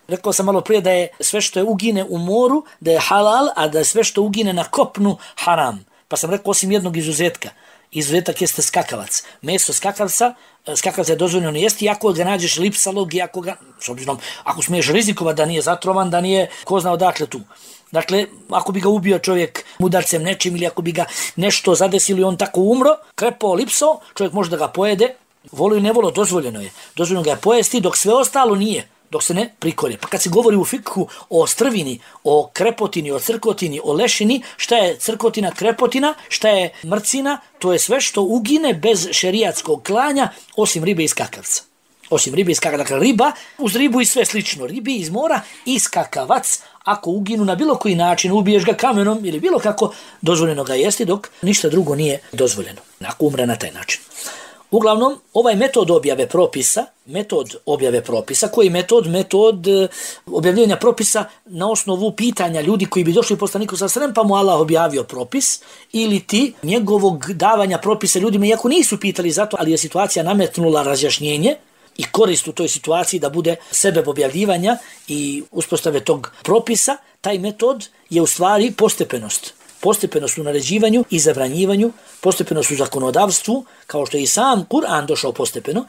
[SPEAKER 1] Rekao sam malo prije da je sve što je ugine u moru, da je halal, a da je sve što ugine na kopnu haram. Pa sam rekao osim jednog izuzetka. Izuzetak jeste skakavac. Meso skakavca je dozvoljeno jesti, ako ga nađeš lipsalog i ako smiješ rizikova da nije zatrovan, da nije ko zna odakle tu. Dakle, ako bi ga ubio čovjek udarcem nečim ili ako bi ga nešto zadesili on tako umro, krepao, lipsao, čovjek može da ga pojede, volo i nevolo, dozvoljeno je. Dozvoljeno ga je pojesti dok sve ostalo nije, dok se ne prikolje. Pa kad se govori u fikhu o strvini, o krepotini, o crkotini, o lešini, šta je crkotina, krepotina, šta je mrcina, to je sve što ugine bez šerijatskog klanja, osim ribe i skakavca. Dakle, riba, uz ribu i sve slično. Ribi iz mora i skakavac, ako uginu na bilo koji način, ubiješ ga kamenom ili bilo kako, dozvoljeno ga jesti, dok ništa drugo nije dozvoljeno. Ako umre na taj način. Uglavnom, ovaj metod objave propisa, koji metod objavljanja propisa na osnovu pitanja ljudi koji bi došli poslaniku sallallahu alejhi ve sellem, pa mu Allah objavio propis, ili ti njegovog davanja propisa ljudima, iako nisu pitali za to, ali je situacija nametnula razjašnjenje i korist u toj situaciji da bude sebeb objavljivanja i uspostave tog propisa, taj metod je u stvari postepenost. Postepenost u naređivanju i zabranjivanju, postepenost u zakonodavstvu, kao što je i sam Kur'an došao postepeno.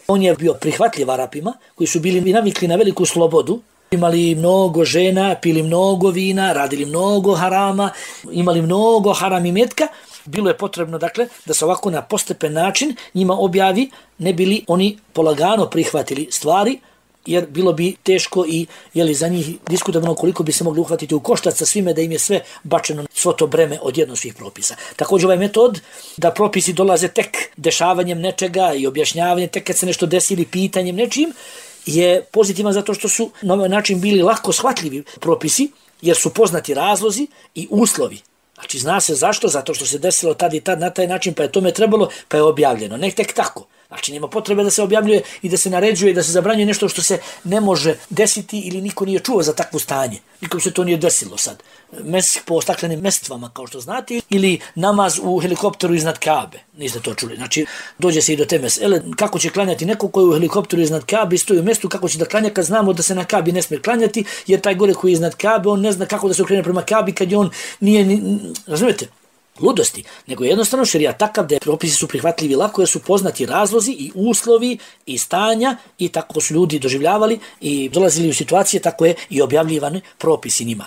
[SPEAKER 1] On je bio prihvatljiv Arapima, koji su bili navikli na veliku slobodu, imali mnogo žena, pili mnogo vina, radili mnogo harama, imali mnogo haram imetka. Bilo je potrebno, dakle, da se ovako na postepen način njima objavi, ne bili oni polagano prihvatili stvari, jer bilo bi teško i za njih diskutabilno koliko bi se mogli uhvatiti u koštac sa svime, da im je sve bačeno svo to breme odjedno svih propisa. Također ovaj metod da propisi dolaze tek dešavanjem nečega i objašnjavanjem, tek kad se nešto desi ili pitanjem nečim, je pozitivan zato što su na ovaj način bili lako shvatljivi propisi, jer su poznati razlozi i uslovi. Znači zna se zašto, zato što se desilo tad i tad na taj način, pa je tome trebalo, pa je objavljeno. Ne tek tako. Znači nema potrebe da se objavljuje i da se naređuje i da se zabranjuje nešto što se ne može desiti ili niko nije čuo za takvo stanje. Nikom se to nije desilo sad. Mesih po staklenim mestvama, kao što znate, ili namaz u helikopteru iznad Kabe. Niste to čuli. Znači dođe se i do te mesele. Kako će klanjati neko koji je u helikopteru iznad Kabe i stoji u mjestu, kako će da klanja kad znamo da se na Kabi ne smije klanjati, jer taj gore koji je iznad Kabe, on ne zna kako da se okrene prema Kabi kad je on nije, razumijete? Ludosti, nego jednostavno šerijat takav da je propisi su prihvatljivi lako jer su poznati razlozi i uslovi i stanja i tako su ljudi doživljavali i dolazili u situacije, tako je i objavljivani propisi njima.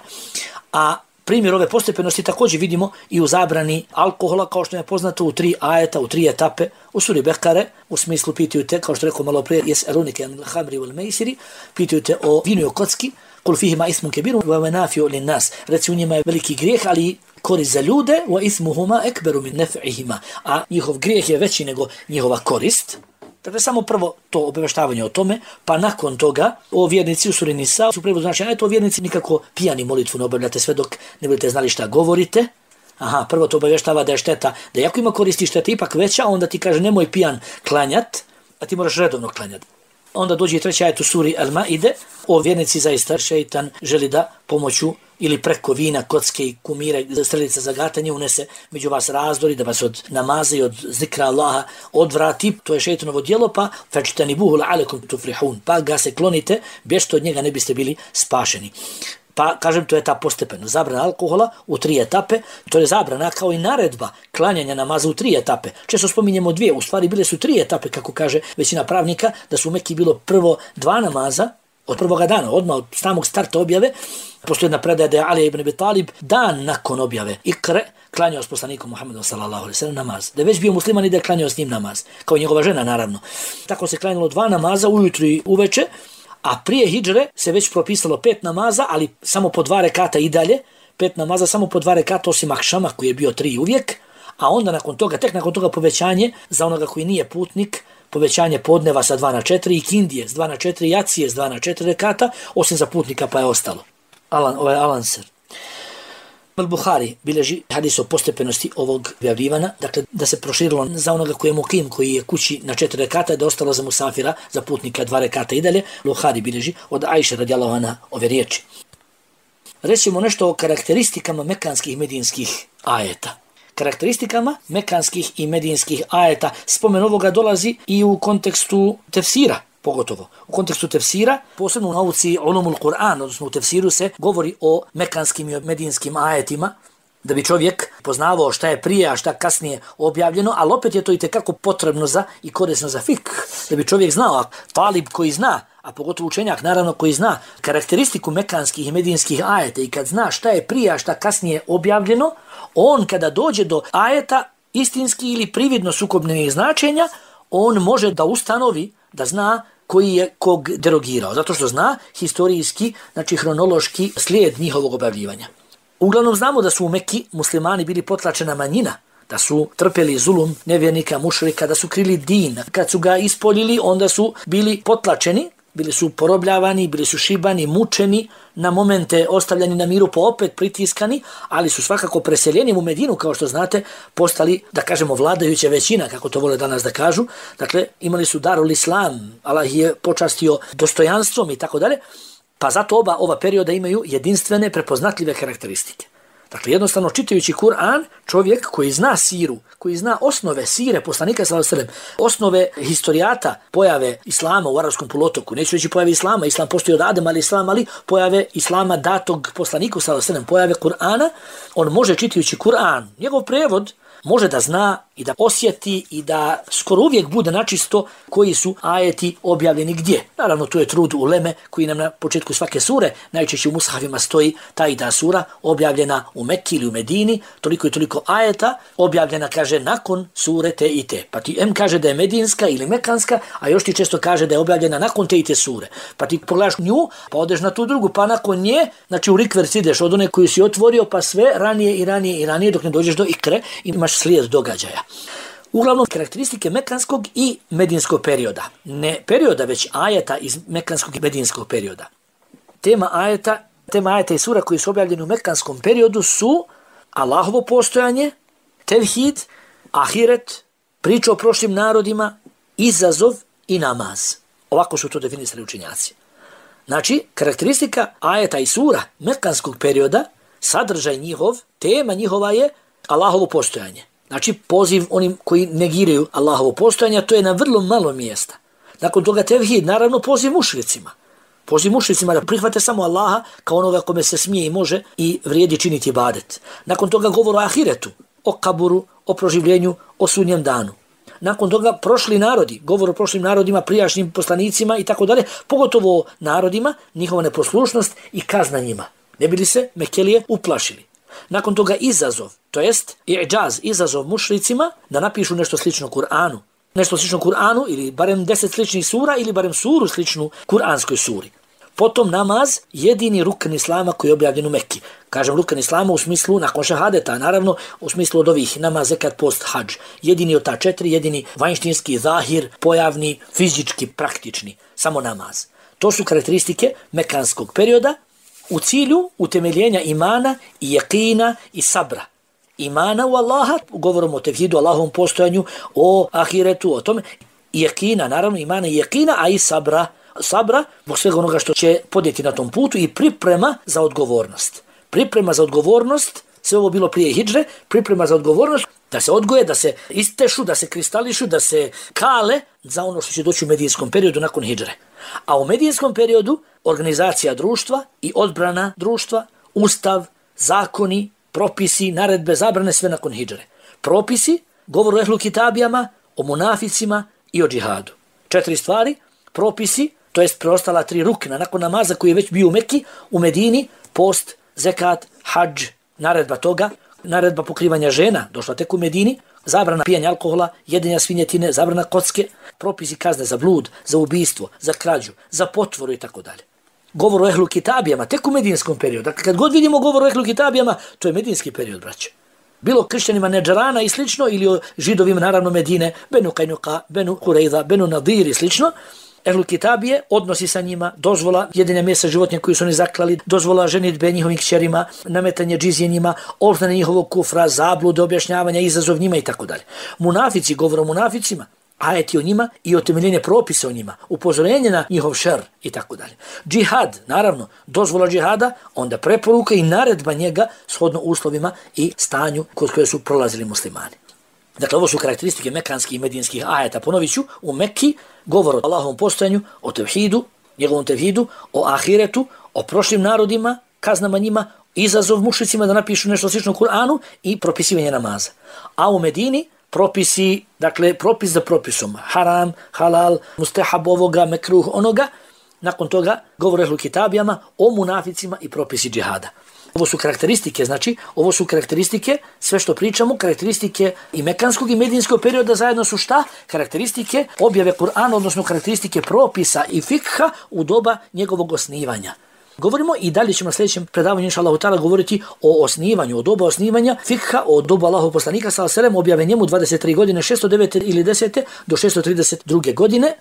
[SPEAKER 1] A primjer ove postepenosti također vidimo i u zabrani alkohola, kao što je poznato u 3 ajeta, u 3 etape, u suri Bekare, u smislu pitaju te, kao što rekao malo prije, jes'alunike anil hamri wal meisiri, pitaju te o vinu i o kocki, kul fihima ismun kebiru wa manafi'u lin nas. Reci u njima je veliki grijeh, ali korist za ljude, wa ismuhuma ekberu min nef'ihima, a njihov grijeh je veći nego njihova korist. Dakle, samo prvo to obavještavanje o tome, pa nakon toga o vjernici u suri Nisa, su prevodu znači, o vjernici nikako pijani molitvu ne obavljate sve dok ne budete znali šta govorite. Prvo to obavještava da je šteta, da jako ima koristi šteta ipak veća, onda ti kaže nemoj pijan klanjat, a ti moraš redovno klanjati. Onda dođe i 3. ajet u suri Al-Maide, o vjernici zaista šeitan želi da pomoću ili preko vina, kocke i kumira, strelica za gatanje unese među vas razdori, da vas od namaza i od zikra Allaha odvrati. To je šeitanovo djelo, pa fajtanibuhu la'alakum tuflihun, pa ga se klonite, bježte od njega ne biste bili spašeni. Pa, kažem, to je ta postepeno. Zabrana alkohola u 3 etape, to je zabrana kao i naredba klanjanja namaza u 3 etape. Često spominjemo 2, u stvari bile su 3 etape, kako kaže većina pravnika, da su u Mekki bilo prvo 2 namaza, od prvoga dana, odmah od samog starta objave. Postoji jedna predaja da je Ali ibn Abi Talib dan nakon objave Ikre klanjao s poslanikom Muhammedom sallallahu alejhi ve sellem namaz. Da je već bio musliman i da je klanjao s njim namaz, kao njegova žena naravno. Tako se klanjalo 2 namaza ujutro i uveče, A prije hidžre se već propisalo 5 namaza, ali samo po 2 rekata i dalje. 5 namaza samo po 2 rekata osim akšama koji je bio 3 uvijek. A onda nakon toga, tek nakon toga povećanje za onoga koji nije putnik, povećanje podneva sa 2 na 4 i kindije s 2 na 4 i acije s 2 na 4 rekata, osim za putnika pa je ostalo. Alanser. Al-Buhari bileži hadis o postepenosti ovog objavljivanja, dakle da se proširilo za onoga koji je mukim, koji je kući na 4 rekata, da je ostalo za musafira, za putnika 2 rekata i dalje. Buhari bileži od Ajše radijallahu anha ove riječi. Rećemo nešto o karakteristikama mekanskih i medinskih ajeta. Karakteristikama mekanskih i medinskih ajeta spomen ovoga dolazi i u kontekstu tefsira, pogotovo. U kontekstu tefsira, posebno u nauci ulumul Kur'an, odnosno u tefsiru se govori o mekanskim i medinskim ajetima, da bi čovjek poznavao šta je prije, a šta kasnije objavljeno, ali opet je to itekako potrebno za i korisno za fik, da bi čovjek znao, a talib koji zna, a pogotovo učenjak naravno koji zna karakteristiku mekanskih i medinskih ajeta i kad zna šta je prije, a šta kasnije objavljeno, on kada dođe do ajeta istinski ili prividno sukobnenih značenja, on može da ustanovi, da zna koji je kog derogirao, zato što zna historijski, znači hronološki slijed njihovog objavljivanja. Uglavnom znamo da su u Mekki muslimani bili potlačena manjina, da su trpjeli zulum nevjernika, mušrika, da su krili din. Kad su ga ispoljili, onda su bili potlačeni, bili su porobljavani, bili su šibani, mučeni, na momente ostavljani na miru, pa opet pritiskani, ali su svakako preseljeni u Medinu, kao što znate, postali, da kažemo, vladajuća većina, kako to vole danas da kažu. Dakle, imali su darul islam, Allah je počastio dostojanstvom i tako dalje, pa zato ova perioda imaju jedinstvene, prepoznatljive karakteristike. Dakle, jednostavno čitajući Kur'an, čovjek koji zna siru, koji zna osnove sire poslanika sallallahu alejhi ve sellem, osnove historijata pojave islama u arapskom poluotoku, neću reći pojave islama, islam postoji od Adama, ali pojave islama datog poslaniku sallallahu alejhi ve sellem, pojave Kur'ana, on može čitajući Kur'an, njegov prevod može da zna i da osjeti i da skoro uvijek bude načisto koji su ajeti objavljeni gdje. Naravno, tu je trud uleme koji nam na početku svake sure, najčešće u mushafima stoji ta i ta sura, objavljena u Mekki ili u Medini, toliko i toliko ajeta, objavljena, kaže, nakon sure te i te. Pa ti kaže da je medinska ili mekanska, a još ti često kaže da je objavljena nakon te i te sure. Pa ti pogledaš nju, pa odeš na tu drugu, pa nakon nje, znači u rikverc ideš od one koju si otvorio, pa sve ranije i ranije i ranije, dok ne dođeš do ikre, imaš slijed događaja. Uglavnom, karakteristike mekanskog i medinskog perioda. Ne perioda, već ajeta iz mekanskog i medinskog perioda. Tema ajeta i sura koji su objavljeni u mekanskom periodu su Allahovo postojanje, tevhid, ahiret, priča o prošlim narodima, izazov i namaz. Ovako su to definisali učenjaci. Znači, karakteristika ajeta i sura mekanskog perioda, sadržaj njihov, tema njihova je Allahovo postojanje. Znači, poziv onim koji negiraju Allahovo postojanje, to je na vrlo malo mjesta. Nakon toga tevhid, naravno, poziv mušricima. Poziv mušricima da prihvate samo Allaha kao onoga kome se smije i može i vrijedi činiti ibadet. Nakon toga govor o ahiretu, o kaburu, o proživljenju, o sudnjem danu. Nakon toga prošli narodi, govor o prošlim narodima, prijašnjim poslanicima i tako dalje, pogotovo o narodima, njihova neposlušnost i kazna njima. Ne bili se Mekelije uplašili. Nakon toga izazov, to jest i'đaz, izazov mušricima da napišu nešto slično Kur'anu. Nešto slično Kur'anu ili barem 10 sličnih sura ili barem suru sličnu Kur'anskoj suri. Potom namaz, jedini rukn islama koji je objavljen u Mekki. Kažem rukn islama u smislu nakon šahadeta, naravno u smislu od ovih namaz, zekat, post, hadž. Jedini od ta 4, jedini vanjštinski, zahir, pojavni, fizički, praktični, samo namaz. To su karakteristike mekanskog perioda u cilju utemeljenja imana i jakina i sabra. Imana u Allaha, govorom o tevhidu, Allahovom postojanju, o ahiretu, o tome, i jakina, naravno imana i jakina, a i sabra, zbog svega onoga što će podnijeti na tom putu i priprema za odgovornost. Priprema za odgovornost, sve ovo bilo prije hidžre, priprema za odgovornost, da se odgoje, da se istešu, da se kristališu, da se kale za ono što će doći u medijinskom periodu nakon hidžre. A u medijinskom periodu organizacija društva i odbrana društva, ustav, zakoni, propisi, naredbe, zabrane, sve nakon hidžre. Propisi, govor o ehlu kitabijama, o munaficima i o džihadu. 4 stvari, propisi, to jest preostala 3 rukna nakon namaza koji je već bio u Mekki, u Medini, post, zekat, hadž, naredba toga, naredba pokrivanja žena, došla tek u Medini, zabrana pijanja alkohola, jedenja svinjetine, zabrana kocke, propisi kazne za blud, za ubistvo, za krađu, za potvoru i tako dalje. Govor o ehlu kitabijama, tek u medinskom periodu. Dakle, kad god vidimo govor o ehlu kitabijama, to je medinski period, braće. Bilo kršćanima Nedžarana i slično, ili o židovima, naravno Medine, Benu Kajnuka, Benu Kurejza, Benu Nadir i slično. Ehlu kitabije, odnosi sa njima, dozvola jedenja mesa životinja koju su oni zaklali, dozvola ženitbe njihovim kćerima, nametanje džizije njima, obznane njihovog kufra, zablude, objašnjavanja, izazov njima i tako dalje. Munafici, govor o munaficima, ajeti o njima i otemeljenje propisa o njima, upozorenje na njihov šer i tako dalje. Džihad, naravno, dozvola džihada, onda preporuka i naredba njega shodno uslovima i stanju kod koje su prolazili muslimani. Dakle, ovo su karakteristike mekanskih i medinskih ajeta. Ponovit ću, u Mekki govor o Allahovom postojanju, o tevhidu, njegovom tevhidu, o ahiretu, o prošlim narodima, kaznama njima, izazov mušicima da napišu nešto slično u Kur'anu i propisivanje namaza. A u Medini propisi, dakle, propis za propisom, haram, halal, mustahab ovoga, mekruh onoga, nakon toga govor o ehlu kitabijama, o munaficima i propisi džihada. Ovo su karakteristike, znači, ovo su karakteristike, sve što pričamo, karakteristike i mekanskog i medinskog perioda zajedno su šta? Karakteristike objave Kur'ana, odnosno karakteristike propisa i fikha u doba njegovog osnivanja. Govorimo i dalje ćemo na sljedećem predavanju inša Allahu ta'ala govoriti o osnivanju, o doba osnivanja fikha, o dobu Allahov poslanika sallallahu alejhi ve sellem, objave njemu 23 godine, 609 ili 10. do 632. godine.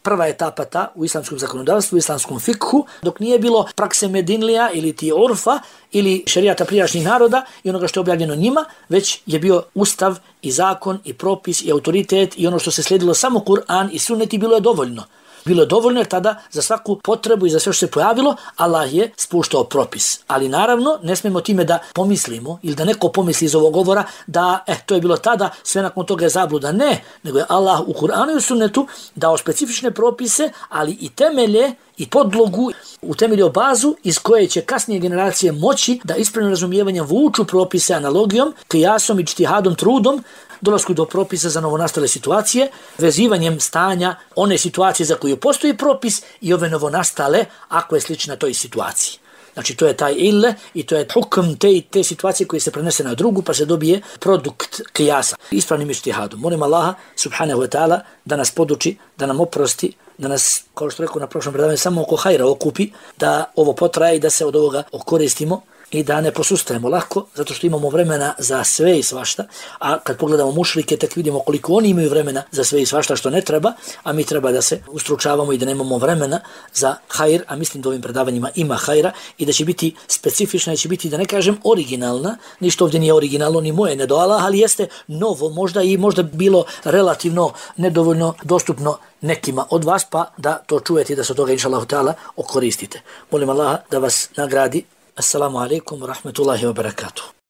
[SPEAKER 1] Prva etapa ta u islamskom zakonodavstvu, u islamskom fikhu, dok nije bilo prakse Medinlija ili ti urfa ili šerijata prijašnjih naroda i onoga što je objavljeno njima, već je bio ustav i zakon i propis i autoritet i ono što se slijedilo samo Kur'an i sunnet i bilo je dovoljno. Bilo je dovoljno jer tada za svaku potrebu i za sve što se pojavilo, Allah je spuštao propis. Ali naravno, ne smijemo time da pomislimo ili da neko pomisli iz ovog govora da to je bilo tada, sve nakon toga je zabluda. Ne, nego je Allah u Kur'anu i u sunnetu dao specifične propise, ali i temelje i podlogu, utemeljio bazu iz koje će kasnije generacije moći da ispravnim razumijevanjem vuču propise analogijom, kijasom i džtihadom, trudom, dolasku do propisa za novonastale situacije, vezivanjem stanja one situacije za koju postoji propis i ove novonastale ako je slična toj situaciji. Znači to je taj ille i to je hukm te situacije koje se prenese na drugu pa se dobije produkt kijasa. Ispravnim ijtihadom. Molim Allaha subhanahu wa ta'ala da nas poduči, da nam oprosti, da nas, kao što rekao na prošlom predavanju, samo oko hajra okupi, da ovo potraje i da se od ovoga okoristimo i da ne posustajemo lako, zato što imamo vremena za sve i svašta, a kad pogledamo mušrike, tek vidimo koliko oni imaju vremena za sve i svašta što ne treba, a mi treba da se ustručavamo i da nemamo vremena za hajr, a mislim da ovim predavanjima ima hajra i da će biti specifična, da će biti, da ne kažem, originalna, ništa ovdje nije originalno, ni moje, ne do Allah, ali jeste novo, možda bilo relativno nedovoljno dostupno nekima od vas, pa da to čujete i da se od toga, inša Allahu ta'ala, okoristite. Molim Allaha da vas nagradi. Assalamu alaikum wa rahmatullahi wa barakatuh.